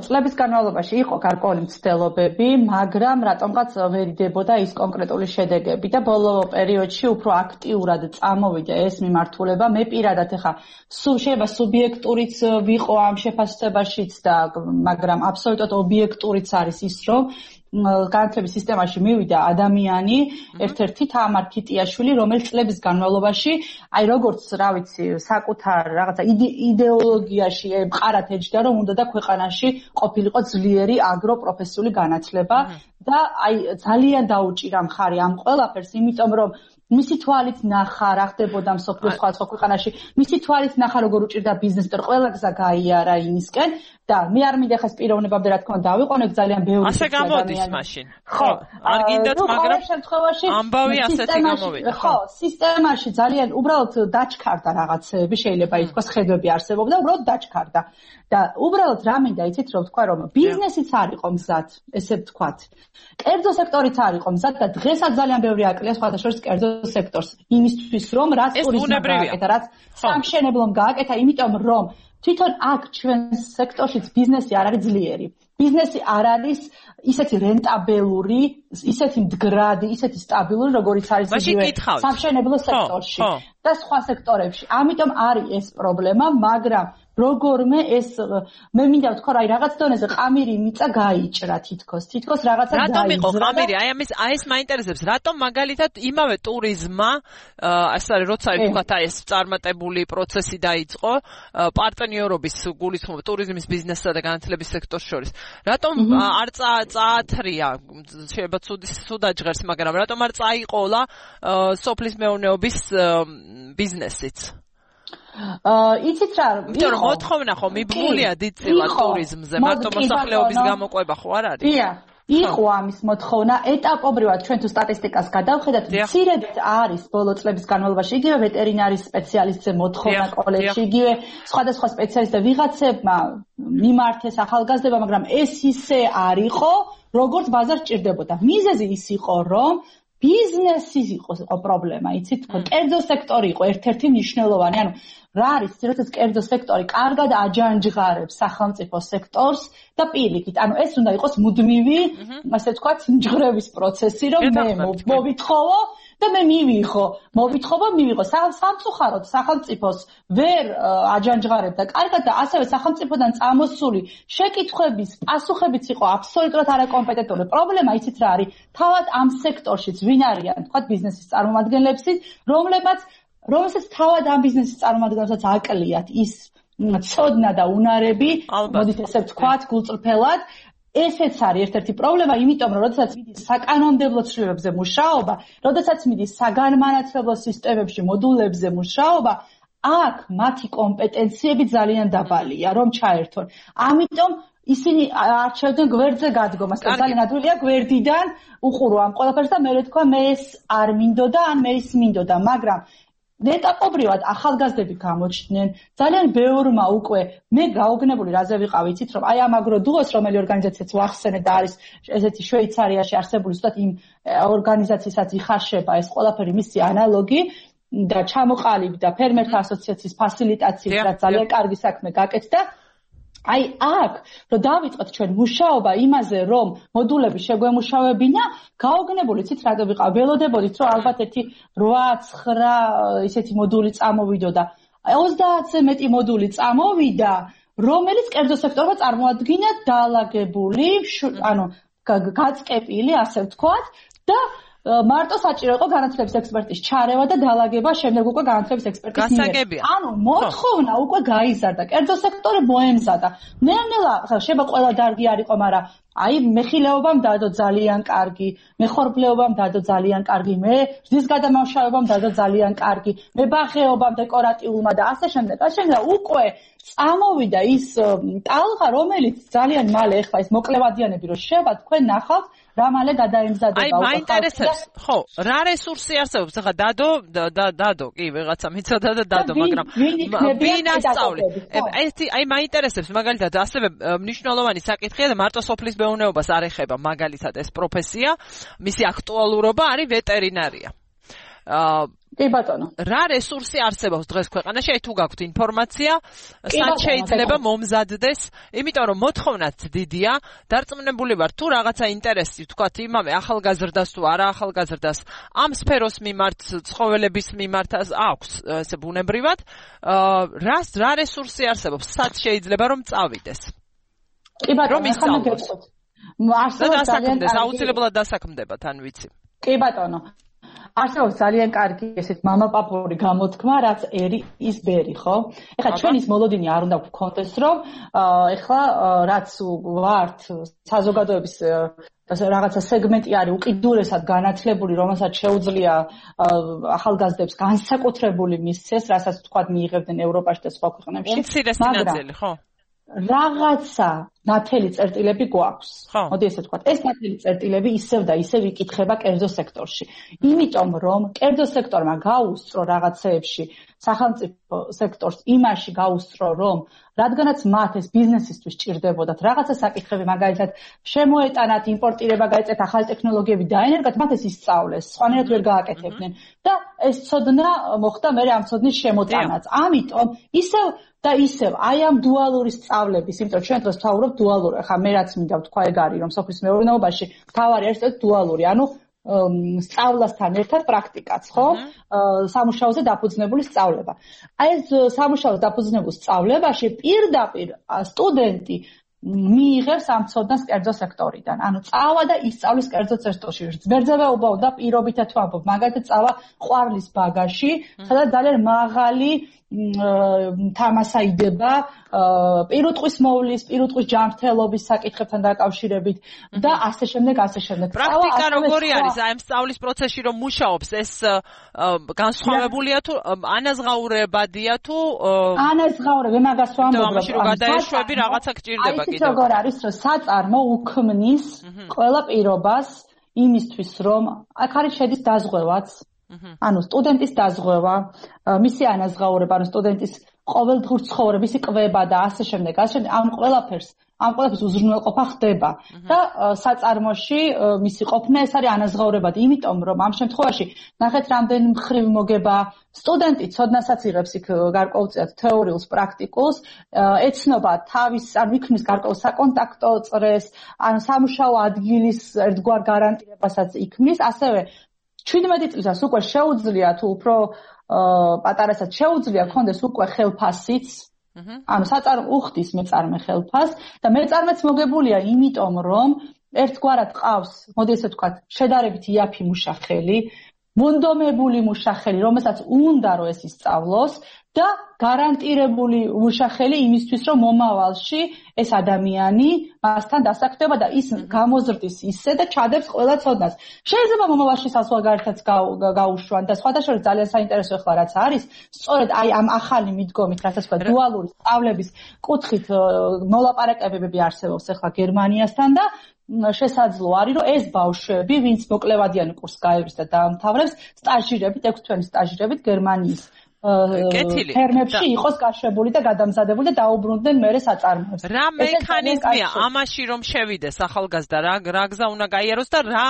წლების განმავლობაში იყო გარკვეული მცდელობები, მაგრამ რატომღაც ვერ იდებოდა ის კონკრეტული შედეგები და ბოლო პერიოდში უფრო აქტიურად წამოვიდა ეს მიმართულება. მე პირადად ახლა შეიძლება სუბიექტურიც ვიყო ამ შეფასებაშიც და მაგრამ აბსოლუტურად ობიექტურიც არის ის, რომ განათლების სისტემაში მივიდა ადამიანი, ერთ-ერთი თამარ ქიტიაშვილი, რომელიც წლების განმავლობაში, აი როგორც, რა ვიცი, საკუთარ რაღაცა იდეოლოგიაში მყარად ეჯდა, რომ უნდა და ქვეყანაში ყოფილიყო ძლიერი აგროპროფესიული განათლება და აი ძალიან დაუჭირა მხარი ამ ყველაფერს, იმიტომ რომ მისი თვალით ნახა რა ხდებოდა მსოფლიოს სხვადასხვა ქვეყანაში, მისი თვალით ნახა როგორ უჭირდა ბიზნესს, და ყველა გზა გაიარა იმისკენ და მე არ მინდა ხეს პიროვნებამდე რა თქმა უნდა დავიყვანებ ძალიან ბევრი ასე გამოდის მაშინ. ხო, არ გინდათ, მაგრამ შემთხვევაში ამბავი ასეთი გამოვიდა. ხო, სისტემაში ძალიან უბრალოდ დაჩქარდა რაღაცეები, შეიძლება ითქვას ხედვები არსებობდა, უბრალოდ დაჩქარდა. და უბრალოდ რა მინდა იცით რომ თქვა რომ ბიზნესიც არ იყო მზად, ესე ვთქვათ. კერძო სექტორიც არ იყო მზად და დღესაც ძალიან ბევრი აკლია სხვათა შორის კერძო სექტორს იმისთვის რომ რაც ტურიზმმა გააკეთა, რაც სამშენებლომ გააკეთა, იმიტომ რომ თვითონ აქ ჩვენ სექტორშიც ბიზნესი არ არის ძლიერი. ბიზნესი არ არის ისეთი რენტაბელური, ისეთი მდგრადი, ისეთი სტაბილური, როგორიც არის სამშენებლო სექტორში და სხვა სექტორებში. ამიტომ არის ეს პრობლემა, მაგრამ როგორმე ეს მე მინდა ვთქვა რა რაღაც დონეზე ყამირი მიწა გაიჭრა თითქოს რაღაცა გაიჭრა. რატომ იყო ყამირი? აი ეს მაინტერესებს, რატომ მაგალითად იმავე ტურიზმმა ასე არის როცა ვთქვათ აი ეს წარმატებული პროცესი დაიწყო პარტნიორობის გულისხმობა ტურიზმის ბიზნესსა და განათლების სექტორს შორის. რატომ არ წაათრია შეიძლება ცუდა ჟღერს, მაგრამ რატომ არ წაიყოლა სოფლის მეურნეობის ბიზნესიც? იცით რა იმიტომ რომ მოთხოვნა ხო მიბმულია დიდწილად ტურიზმზე, მარტო მოსახლეობის გამოყვება ხო არ არის? იყო ამის მოთხოვნა ეტაპობრივად ჩვენ თუ სტატისტიკას გადავხედათ, მცირედ არის ბოლო წლების განმავლობაში იგივე ვეტერინარის სპეციალისტზე მოთხოვნა კოლეჯში, იგივე სხვადასხვა სპეციალისტზე ვიღაცებმა მიმართეს ახალგაზრდება, მაგრამ ეს ისე არ იყო, როგორც ბაზარს ჭირდებოდა. მიზეზი ის იყო, რომ ბიზნესი იყო პრობლემა, იცით, კერძო სექტორი იყო ერთ-ერთი მნიშვნელოვანი. ანუ რა არის, როდესაც კერძო სექტორი კარგად აჯანჯღარებს სახელმწიფო სექტორს და პირიქით, ანუ ეს უნდა იყოს მუდმივი, ასე ვთქვათ, მჯღრების პროცესი, რომ მე მოვითხოვო და მე მივიღო სამწუხაროდ სახელმწიფოს ვერ აჯანჯღარებდა კარგად და ასევე სახელმწიფოდან წამოსული შეკითხვების პასუხებიც იყო აბსოლუტურად არაკომპეტენტური. პრობლემა იცით რა არის? თავად ამ სექტორშიც ვინ არიან, თქვათ ბიზნესის წარმომადგენლები, რომელსაც თავად ამ ბიზნესის წარმომადგენლებსაც აკლიათ ის ცოდნა და უნარები, მოდით ესე ვთქვათ, გულწრფელად. ესეც არის ერთ-ერთი პრობლემა, იმიტომ რომ როდესაც მიდის საკანონმდებლო ცვლილებებზე მუშაობა, როდესაც მიდის საგანმანათლებლო სისტემებში მოდულებზე მუშაობა, აქ მათი კომპეტენციები ძალიან დაბალია, რომ ჩაერთონ. ამიტომ ისინი არჩევდნენ გვერდზე გადგომას და ძალიან ადვილია გვერდიდან უყურო ამ ყველაფერს და მე ვთქვა მე ეს არ მინდოდა, ან მე ის მინდოდა, მაგრამ ეტაპობრივად ახალგაზრდები გამოჩნდნენ, ძალიან ბევრმა უკვე მე გაოგნებული რაზე ვიყავ, იცით რომ აი ამ აგროდუოს რომელი ორგანიზაციაც ვახსენე და არის ესეთი შვეიცარიაში არსებული ზუსტად იმ ორგანიზაციასაც იხარშება ეს ყველაფერი მისი ანალოგი და ჩამოყალიბდა ფერმერთა ასოციაციის ფასილიტაციით, რაც ძალიან კარგი საქმე გაკეთდა. აი აქ რომ დავიწყოთ ჩვენ მუშაობა იმაზე რომ მოდულები შეგვემუშავებინა, გაოგნებული ცით რა ვიყავ, ველოდებოდით რომ ალბათ ერთი 8-9 ისეთი მოდული წამოვიდოდა. 30-ზე მეტი მოდული წამოვიდა, რომელიც კერძო სექტორმა წარმოადგინა დაალაგებული, ანუ გაწკეპილი, ასე ვთქვათ და მარტო საჭირო იყო განათლების ექსპერტის ჩარევა და დაალაგება შემდეგ უკვე განათლების ექსპერტის მიერ. ანუ მოთხოვნა უკვე გაიზარდა, კერძო სექტორი მოემზადა. ნელ-ნელა შეიძლება ყველა დარგი არ იყო, მაგრამ აი მეხილეობამ დადო ძალიან კარგი, მეხორბლეობამ დადო ძალიან კარგი, მე რძის გადამამუშავებამ დადო ძალიან კარგი, მებაღეობამ, დეკორატიულმა და ასე შემდეგ. უკვე წამოვიდა ის ტალღა, რომელიც ძალიან მალე ეხლა ეს მოკლევადიანები რომ შევა, თქვენ ნახავთ რა მალე გადაემზადება. აი მაინტერესებს, ხო, რა რესურსი არსებობს? ახლა დადო, კი, ვიღაცა მიცოდა და დადო, მაგრამ ვინასწავლი? აი მაინტერესებს მაგალითად ასევე მნიშვნელოვანი საკითხია და მარტო სოფლის მეურნეობას არ ეხება მაგალითად ეს პროფესია, მისი აქტუალურობა არის ვეტერინარია. კი ბატონო. რა რესურსი არსებობს დღეს ქვეყანაში? აი თუ გაქვთ ინფორმაცია, სად შეიძლება მომზადდეს, იმიტომ რომ მოთხოვნაც დიდია, დარწმუნებული ვარ თუ რაღაცა ინტერესი, თქვათ იმავე ახალგაზრდას თუ არა ახალგაზრდას, ამ სფეროს მიმართ, ცხოველების მიმართ აქვს ესე ბუნებრივად, რა რესურსი არსებობს, სად შეიძლება რომ წავიდეს? კი ბატონო, ახლა გეტყვით. არსებობს ძალიან კარგი, აუცილებლად დასაქმდება, თან ვიცი. კი ბატონო. არსებობს ძალიან კარგი ესეთ მამაპაპური გამოთქმა, რაც ერი ის ბერი, ხო? ეხლა ჩვენ ის მოლოდინი არ უნდა გქონდეს, რომ ეხლა რაც ვართ საზოგადოების რაღაცა სეგმენტი არის უკიდურესად განათლებული, რომელსაც შეუძლია ახალგაზრდებს განსაკუთრებული მისცეს, რასაც თქვათ მიიღებდნენ ევროპაში და სხვა ქვეყნებში. უმცირესი ნაწილი, ხო? რაღაცა ნათელი წერტილები გვაქვს. მოდი ესე ვთქვათ, ეს ნათელი წერტილები ისევ და ისევ იკითხება კერძო სექტორში. იმიტომ რომ კერძო სექტორმა გაუსწრო რაღაცეებში სახელმწიფო სექტორს იმაში გაუსწრო, რომ რადგანაც მათ ეს ბიზნესისთვის ჭირდებოდათ რაღაცა საკითხები, მაგალითად შემოეტანათ, იმპორტირება გაეწეთ, ახალი ტექნოლოგიები დაენერგათ, მათ ეს ისწავლეს, სხვანაირად ვერ გააკეთებდნენ და ეს ცოდნა მოხდა მერე ამ ცოდნის შემოტანაც. ამიტომ ისევ აი ამ დუალური სწავლების, იმიტომ ჩვენ დღეს ვთვალობთ დუალური, ახლა მე რაც მინდა ვთქვა ეგ არის, რომ სოფლის მეურნეობაში თავარი არის დუალური, ანუ სწავლასთან ერთად პრაქტიკაც, ხო? სამუშაოზე დაფუძნებული სწავლება. აი ეს სამუშაოზე დაფუძნებულ სწავლებაში პირდაპირ სტუდენტი მიიღებს ამ ცოდნას კერძო სექტორიდან. ანუ წავა და ისწავლის კერძო სექტორში. გვერდზე უბრალოდ პირობითად თუ ამბობ, მაგალითად წავა ყვარლის ბაგაში, სადაც ძალიან მაღალი თამასაიდება პირუტყვის მოვლის, პირუტყვის ჯანმრთელობის საკითხებთან დაკავშირებით და ასე შემდეგ. პრაქტიკა როგორი არის? აი ამ სწავლის პროცესში რომ მუშაობს, ეს განსხვავებულია თუ ანაზღაურებადია თუ ანაზღაურება მაგას ვამბობ, რომ გადაეშვები რაღაცა გჭირდება კიდევ. აი როგორ არის, რომ საწარმო უქმნის ყველა პირობას იმისთვის, რომ აქ არის შედის დაზღვევაც. ანუ სტუდენტის დაზღვევა, მისი ანაზღაურება, ანუ სტუდენტის ყოველდღიური ცხოვრება, მისი კვება და ასე შემდეგ, ამ ყველაფერს უზრუნველყოფა ხდება და საწარმოში მისი ყოფნა ეს არის ანაზღაურებადი, იმიტომ რომ ამ შემთხვევაში ნახეთ რამდენი მხრივ მოგება სტუდენტი ცოდნასაც იღებს იქ გარკვეულწილად თეორიულს, პრაქტიკულს, ეცნობა თავის, ანუ იქმნის გარკვეულ საკონტაქტო წრეს, ანუ სამუშაო ადგილის ერთგვარ გარანტირებასაც იქმნის, ასევე 17 წლისას უკვე შეუძლია თუ უფრო პატარასაც შეუძლია ქონდეს უკვე ხელფასიც, ანუ საწარმო უხდის მეწარმე ხელფას და მეწარმეც მოგებულია იმიტომ რომ ერთგვარად ყავს, მოდი ესე ვთქვათ, შედარებით იაფი მუშახელი, მონდომებული მუშახელი, რომელსაც უნდა რომ ეს ისწავლოს და გარანტირებული მუშახელი იმისთვის, რომ მომავალში ეს ადამიანი მასთან დასაქმდება და ის გამოზრდის ისე და ჩადებს ყველა ცოდნას. შეიძლება მომავალში საზღვარგარეთაც გაუშვან და სხვადასხვა ძალიან საინტერესო ახლა რაც არის, სწორედ აი ამ ახალი მიდგომით, რასაც ვთქვა, დუალური სწავლების კუთხით მოლაპარაკებები არსებობს ახლა გერმანიასთან და შესაძლოა არის, რომ ეს ბავშვები, ვინც მოკლევადიანი კურსს გაევლეს და დაამთავრებს, სტაჟირებით, 6 თვენის სტაჟირებით გერმანიის ფერმებში იყოს გაშვებული და გადამზადებული და დაუბრუნდნენ მერე საწარმოებს. რა მექანიზმია ამაში რომ შევიდეს ახალგაზრდა, რა გზა უნდა გაიაროს და რა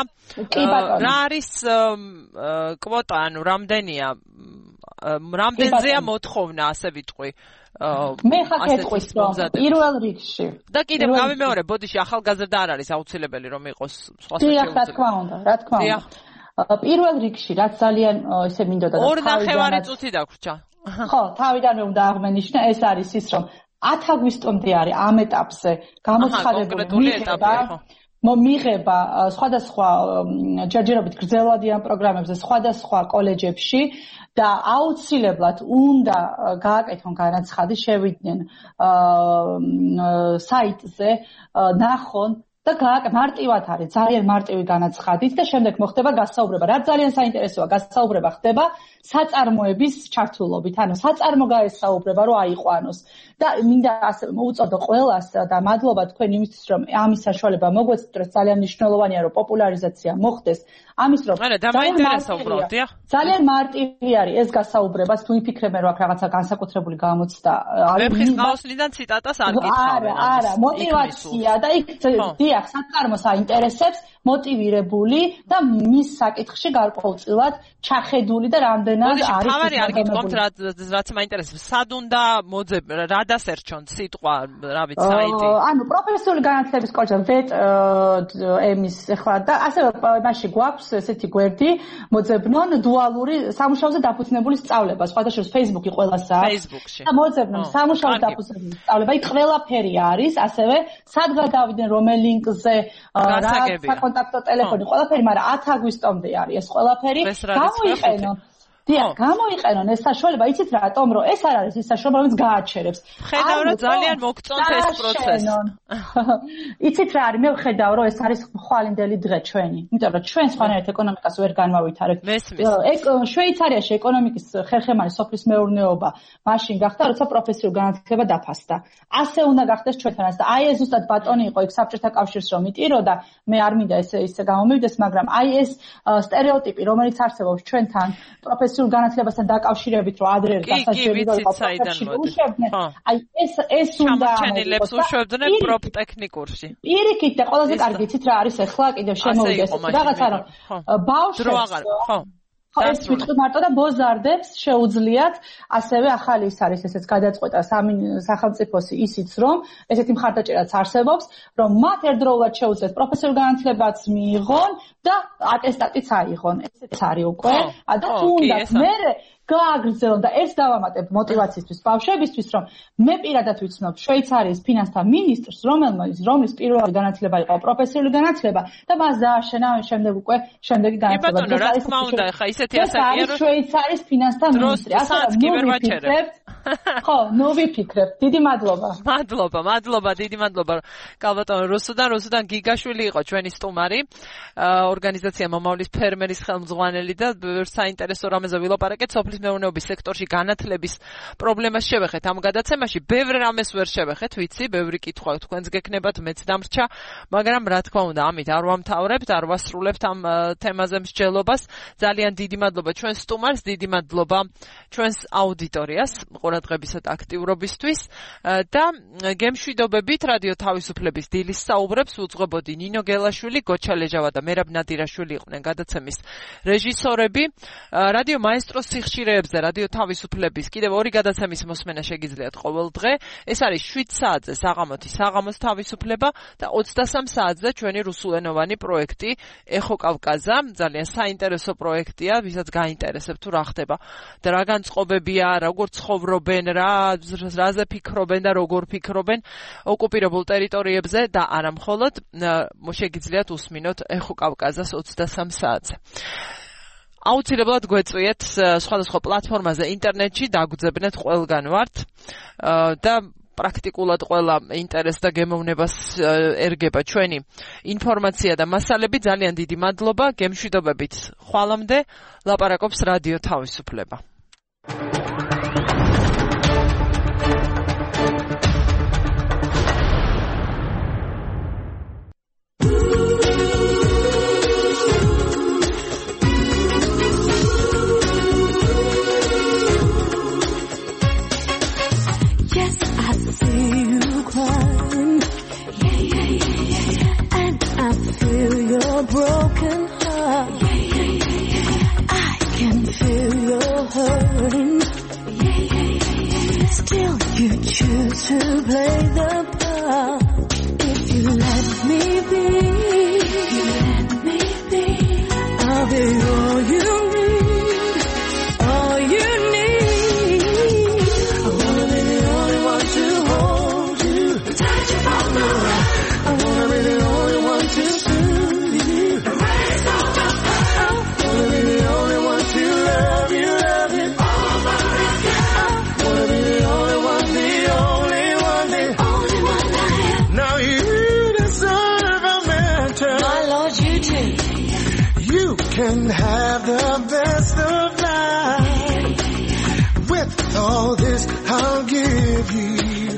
არის კვოტა, ანუ რამდენზეა მოთხოვნა, ასე ვიტყვი. მე ხა გეტყვის რომ პირველ რიგში და კიდევ გავიმეორე, ბოდიში ახალგაზრდა არ არის აუცილებელი რომ იყოს სხვა შეუძლებელი. რა თქმა უნდა. პირველ რიგში რაც ძალიან ესე მინდოდა და 2.5 წუთი დაგვრჩა. ხო, თავიდანვე უნდა აღმენიშნა, ეს არის ის რომ 10 აგვისტომდე არის ამ ეტაპზე გამოცხადებული მიღება სხვადასხვა ჯერჯერობით გრძელვადიან პროგრამებზე სხვადასხვა კოლეჯებში და აუცილებლად უნდა გააკეთონ განაცხადი, შევიდნენ საიტზე, ნახონ და მარტივად არის, ძალიან მარტივი განაცხადით და შემდეგ მოხდება გასაუბრება. რაც ძალიან საინტერესოა, გასაუბრება ხდება საწარმოების ჩართულობით, ანუ საწარმო გაესაუბრება, რომ აიყვანოს. და მინდა ასე მოუწოდო ყველას და მადლობა თქვენ იმისთვის, რომ ამის საშუალება მოგვეცდეთ, ძალიან მნიშვნელოვანია, რომ პოპულარიზაცია მოხდეს. ამის რომ ძალიან მარტივი არის ეს გასაუბრება, თუ იფიქრებენ, რომ აქ რაღაცა განსაკუთრებული გამოცდა არის. ვეფხის ყაოსნიდან ციტატას არ გითხავენ. არა, мотиваცია და იქ დიახ, საწარმოს აინტერესებს, мотивირებული და მის საკითხში გარკვეულწილად ჩახედული და რამდენად არის. თავარი არ გითხომთ, რაც მაინტერესებს. სად უნდა მოძებ, რა დასერჩონ სიტყვა, რა ვიცი, საიტი. ანუ პროფესიული განათლების კოლეჯი ვეტ ემის ახლა და ასევე მასში გვაქვს ესეთი გვერდი მოძებნონ დუალური სამუშაოზე დაფუძნებული სწავლება. სხვადასხვა Facebook-ი ყველას აქვს. Facebook-ში. და მოძებნონ სამუშაოზე დაფუძნებული სწავლება. იქ ყველაფერი არის, ასევე სად გადავიდნენ, რომელ ლინკზე, რა საკონტაქტო ტელეფონი, ყველაფერი, მაგრამ 10 აგვისტომდე არის ეს ყველაფერი. გამოიყენონ. დიახ, გამოიყენონ ეს საშუალება, იცით რატომ, რომ ეს არ არის ის საშუალება, რომელიც გააჩერებს. ხედავ, რომ ძალიან მოგწონთ ეს პროცესი. იცით რა არის, მე ვხედავ, რომ ეს არის ხვალინდელი დღე ჩვენი. იმიტომ რომ ჩვენ სხვანაირად ეკონომიკას ვერ განმავითარებთ. შვეიცარიაში ეკონომიკის ხერხემალი სოფლის მეურნეობა მაშინ გახდა, როცა პროფესიულ განათლება დაფასდა. ასე უნდა გახდეს ჩვენთანაც და აი ეს ზუსტად ბატონი იყო იქ საბჭოთა კავშირს რომ იტიროდა, მე არ მინდა ესე გამომივიდეს, მაგრამ აი ეს სტერეოტიპი, რომელიც არსებობს ჩვენთან პროფესიულ განათლებასთან დაკავშირებით, რომ ადრე დასაშვები რომ უშვებდნენ, აი ეს უნდა ჩამოჩენილებს უშვებდნენ პროფტექნიკურში. პირიქით და ყველაზე კარგი იცით რა არის ახლა კიდევ შემოვიდეს რაღაცა რომ ბავშვებს ეს ვიტყვი მარტო და ბოზარდებს შეუძლიათ ასევე ახალი ის არის ესეც გადაწყვეტა სახელმწიფოსი ისიც რომ ესეთი მხარდაჭერაც არსებობს რომ მათ ერთდროულად შეუძლიათ პროფესიული განათლებაც მიიღონ და ატესტატიც აიღონ ესეც არის უკვე და თუნდაც მე გააგრძელონ და ეს დავამატებ მოტივაციისთვის ბავშვებისთვის რომ მე პირადად ვიცნობ შვეიცარიის ფინანსთა მინისტრს რომლის პირველი განათლება იყო პროფესიული განათლება და მას დააშენა შემდეგ უკვე შემდეგი განათლება რა თქმა უნდა ხა ისეთი ასაკია რომ შვეიცარიის ფინანსთა მინისტრი ხო ნუ ვიფიქრებ დიდი მადლობა დიდი მადლობა კალბატონო რუსუდან გიგაშვილი იყო ჩვენი სტუმარი ორგანიზაცია მომავლის ფერმერის ხელმძღვანელი და საინტერესო რამეზე ვილაპარაკეთ სოფლის მეურნეობის სექტორში განათლების პრობლემას შევეხეთ ამ გადაცემაში ბევრ რამეს ვერ შევეხეთ ვიცი ბევრი კითხვა თქვენს გექნებათ მეც დამრჩა მაგრამ რა თქმა უნდა ამით არ ვამთავრებთ არ ვასრულებთ ამ თემაზე მსჯელობას ძალიან დიდი მადლობა ჩვენს სტუმარს დიდი მადლობა ჩვენს აუდიტორიას ყურადღებისა და აქტიურობისთვის და გემშვიდობებით რადიო თავისუფლების დილის საუბრებს უძღვებოდი ნინო გელაშვილი გოჩა ლეჟავა და მერაბ ნადირაშვილი იყვნენ გადაცემის რეჟისორები რადიო მაესტროს სიხშირეებზე რადიო თავისუფლების კიდევ ორი გადაცემის მოსმენა შეგიძლიათ ყოველ დღე ეს არის 7 საათზე საღამოთი საღამოს თავისუფლება და 23 საათზე ჩვენი რუსულენოვანი პროექტი ეხო კავკაზა ძალიან საინტერესო პროექტია ვისაც გაინტერესებს თუ რა ხდება და რა განწყობებია როგორ ცხოვრობენ რაზე ფიქრობენ და როგორ ფიქრობენ ოკუპირებულ ტერიტორიებზე და არა მხოლოდ შეგიძლიათ უსმინოთ ეხო კავკაზას 23 საათზე აუცილებლად გვეწვიეთ სხვადასხვა პლატფორმაზე ინტერნეტში დაგვძებნეთ ყველგან ვართ და პრაქტიკულად ყველა ინტერესს და გემოვნებას ერგება ჩვენი ინფორმაცია და მასალები ძალიან დიდი მადლობა გემშვიდობებით ხვალამდე ლაპარაკობს რადიო თავისუფლება Broken heart. I can feel your hurting. Still you choose to play the part. If you let me be, I'll be all you need, all you need. I wanna be the only one to hold you, touch you from the right. I wanna be the only one to can have the best of life. With all this I'll give you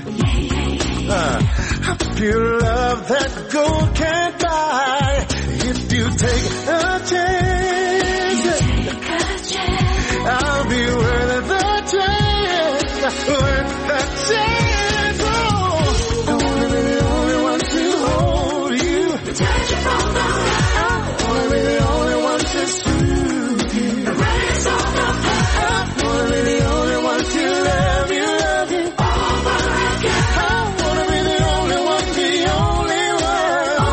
a pure love that gold can't buy. If you take a chance, I'll be worth the chance, worth the chance. Oh, I wanna be the only one to hold you, touch you from the right. I wanna be the only one to soothe you, raise all the pain. I wanna be the only one to love you over again. I wanna be the only one, the only one.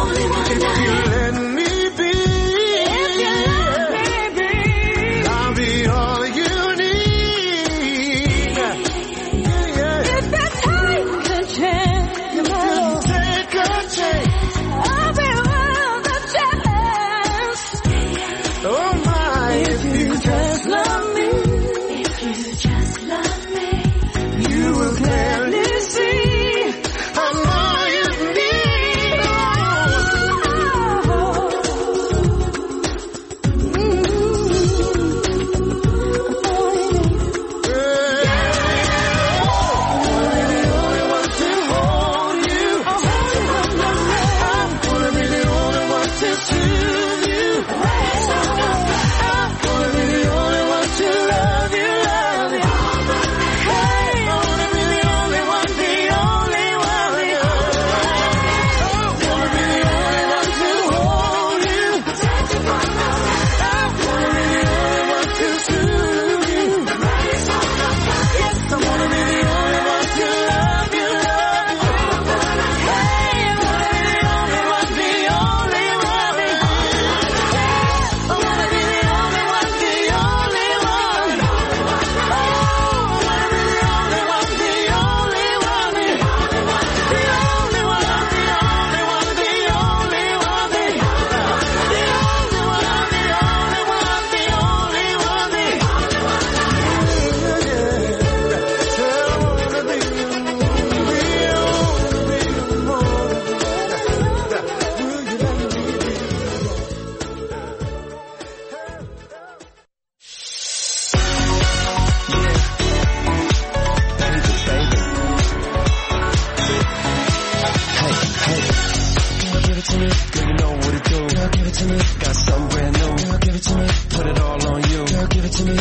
to me. Got something brand new. Girl, give it to me. Put it all on you. Girl, give it to me. I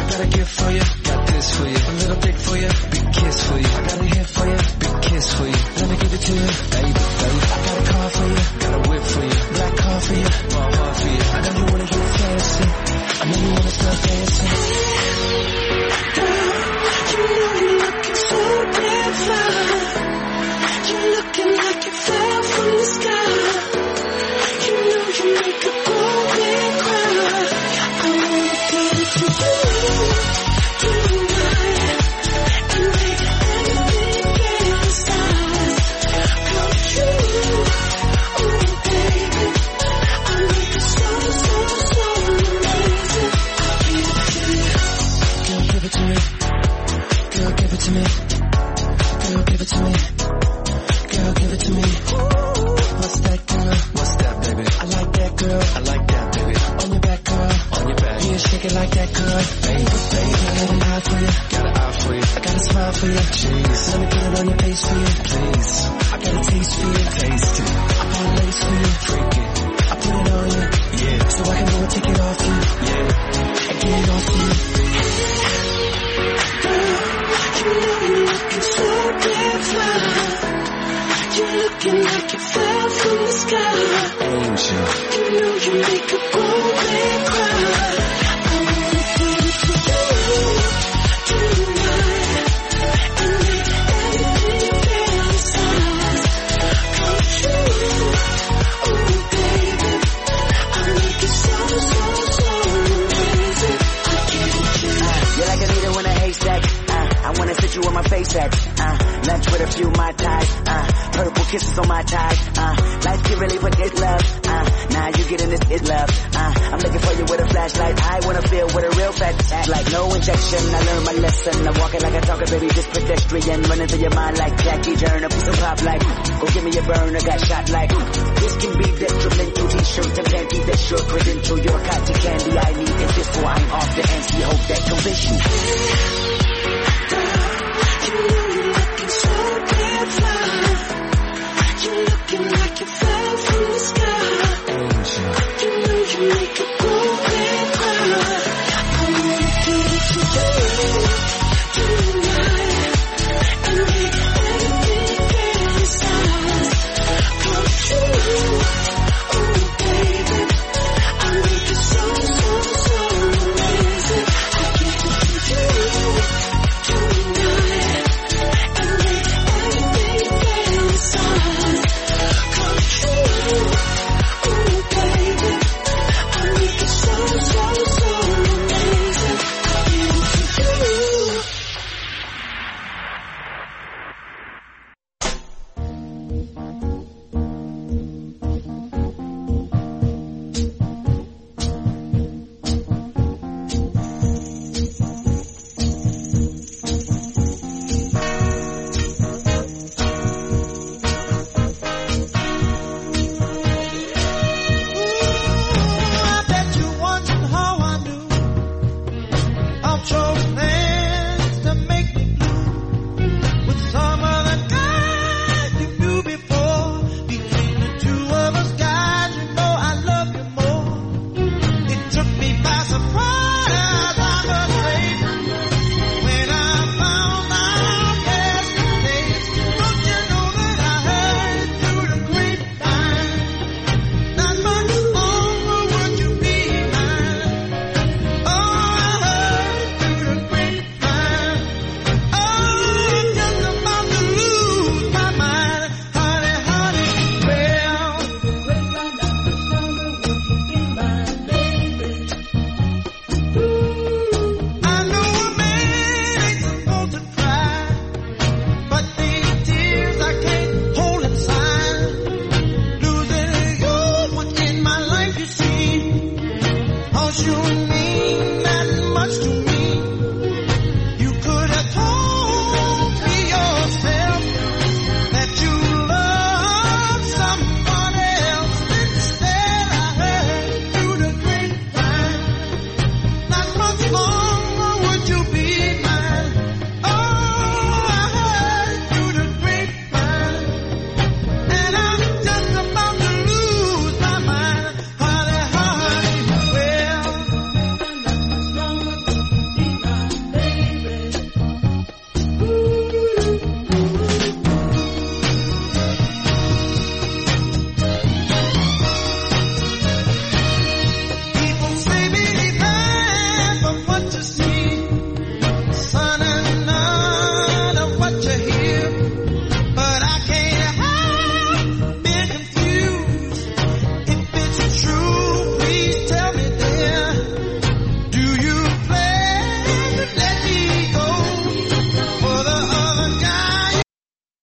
got a gift for you. Got this for you. A little dick for you. Big kiss for you. I got a hit for you. Big kiss for you. Let me give it to you. Baby, baby. I got a car for you. Got a whip for you. Black car for you. My heart for you. I know you wanna get fancy. I know you wanna start dancing. Girl, you know you're looking so damn fine. You're looking like you fell from the sky. You know you make a grown man cry. I wanna give it to you tonight and make everything fantasize. Come true, oh baby. I make it so amazing. Girl, give it to me. Girl, give it to me. Girl, give it to me. Girl, give it to me. What's that, girl? What's that, baby? I like that, girl. I like that, baby. On your back, girl. On your back. Yeah, shake it like that, girl. Baby, baby. I got an eye for you. Got an eye for you. I got a smile for you. Jeez. Let me get it on your face for you, please. I got a taste for you. Taste it. I got a lace for you. Freak it. I put it on you. Yeah. So I can go and take it off you. Yeah. And get it off you. Girl, you know you're looking so damn fine. You're looking like you fell from the sky. Angel. You know you make a grown man cry. I wanna give it to you tonight and make everything fantasize. Come true, oh baby. I make it so amazing. I give it to you. You're like a needle in a haystack. I wanna sit you on my face at. Lunch with a few Mai Tais. Purple kisses on my tie. Life can really put this love. Now you getting this is love. I'm looking for you with a flashlight. I wanna feel what a real fat act like. No injection. I learned my lesson. I'm walking like a talker, baby, just pedestrian. Running through your mind like Jackie Turner. Piece of pop like. Go give me a burner. Got shot like. This can be detrimental. T-shirt and panty. That's your credential. Your cotton candy. I need it. This wine off the anti. Hope that convince you.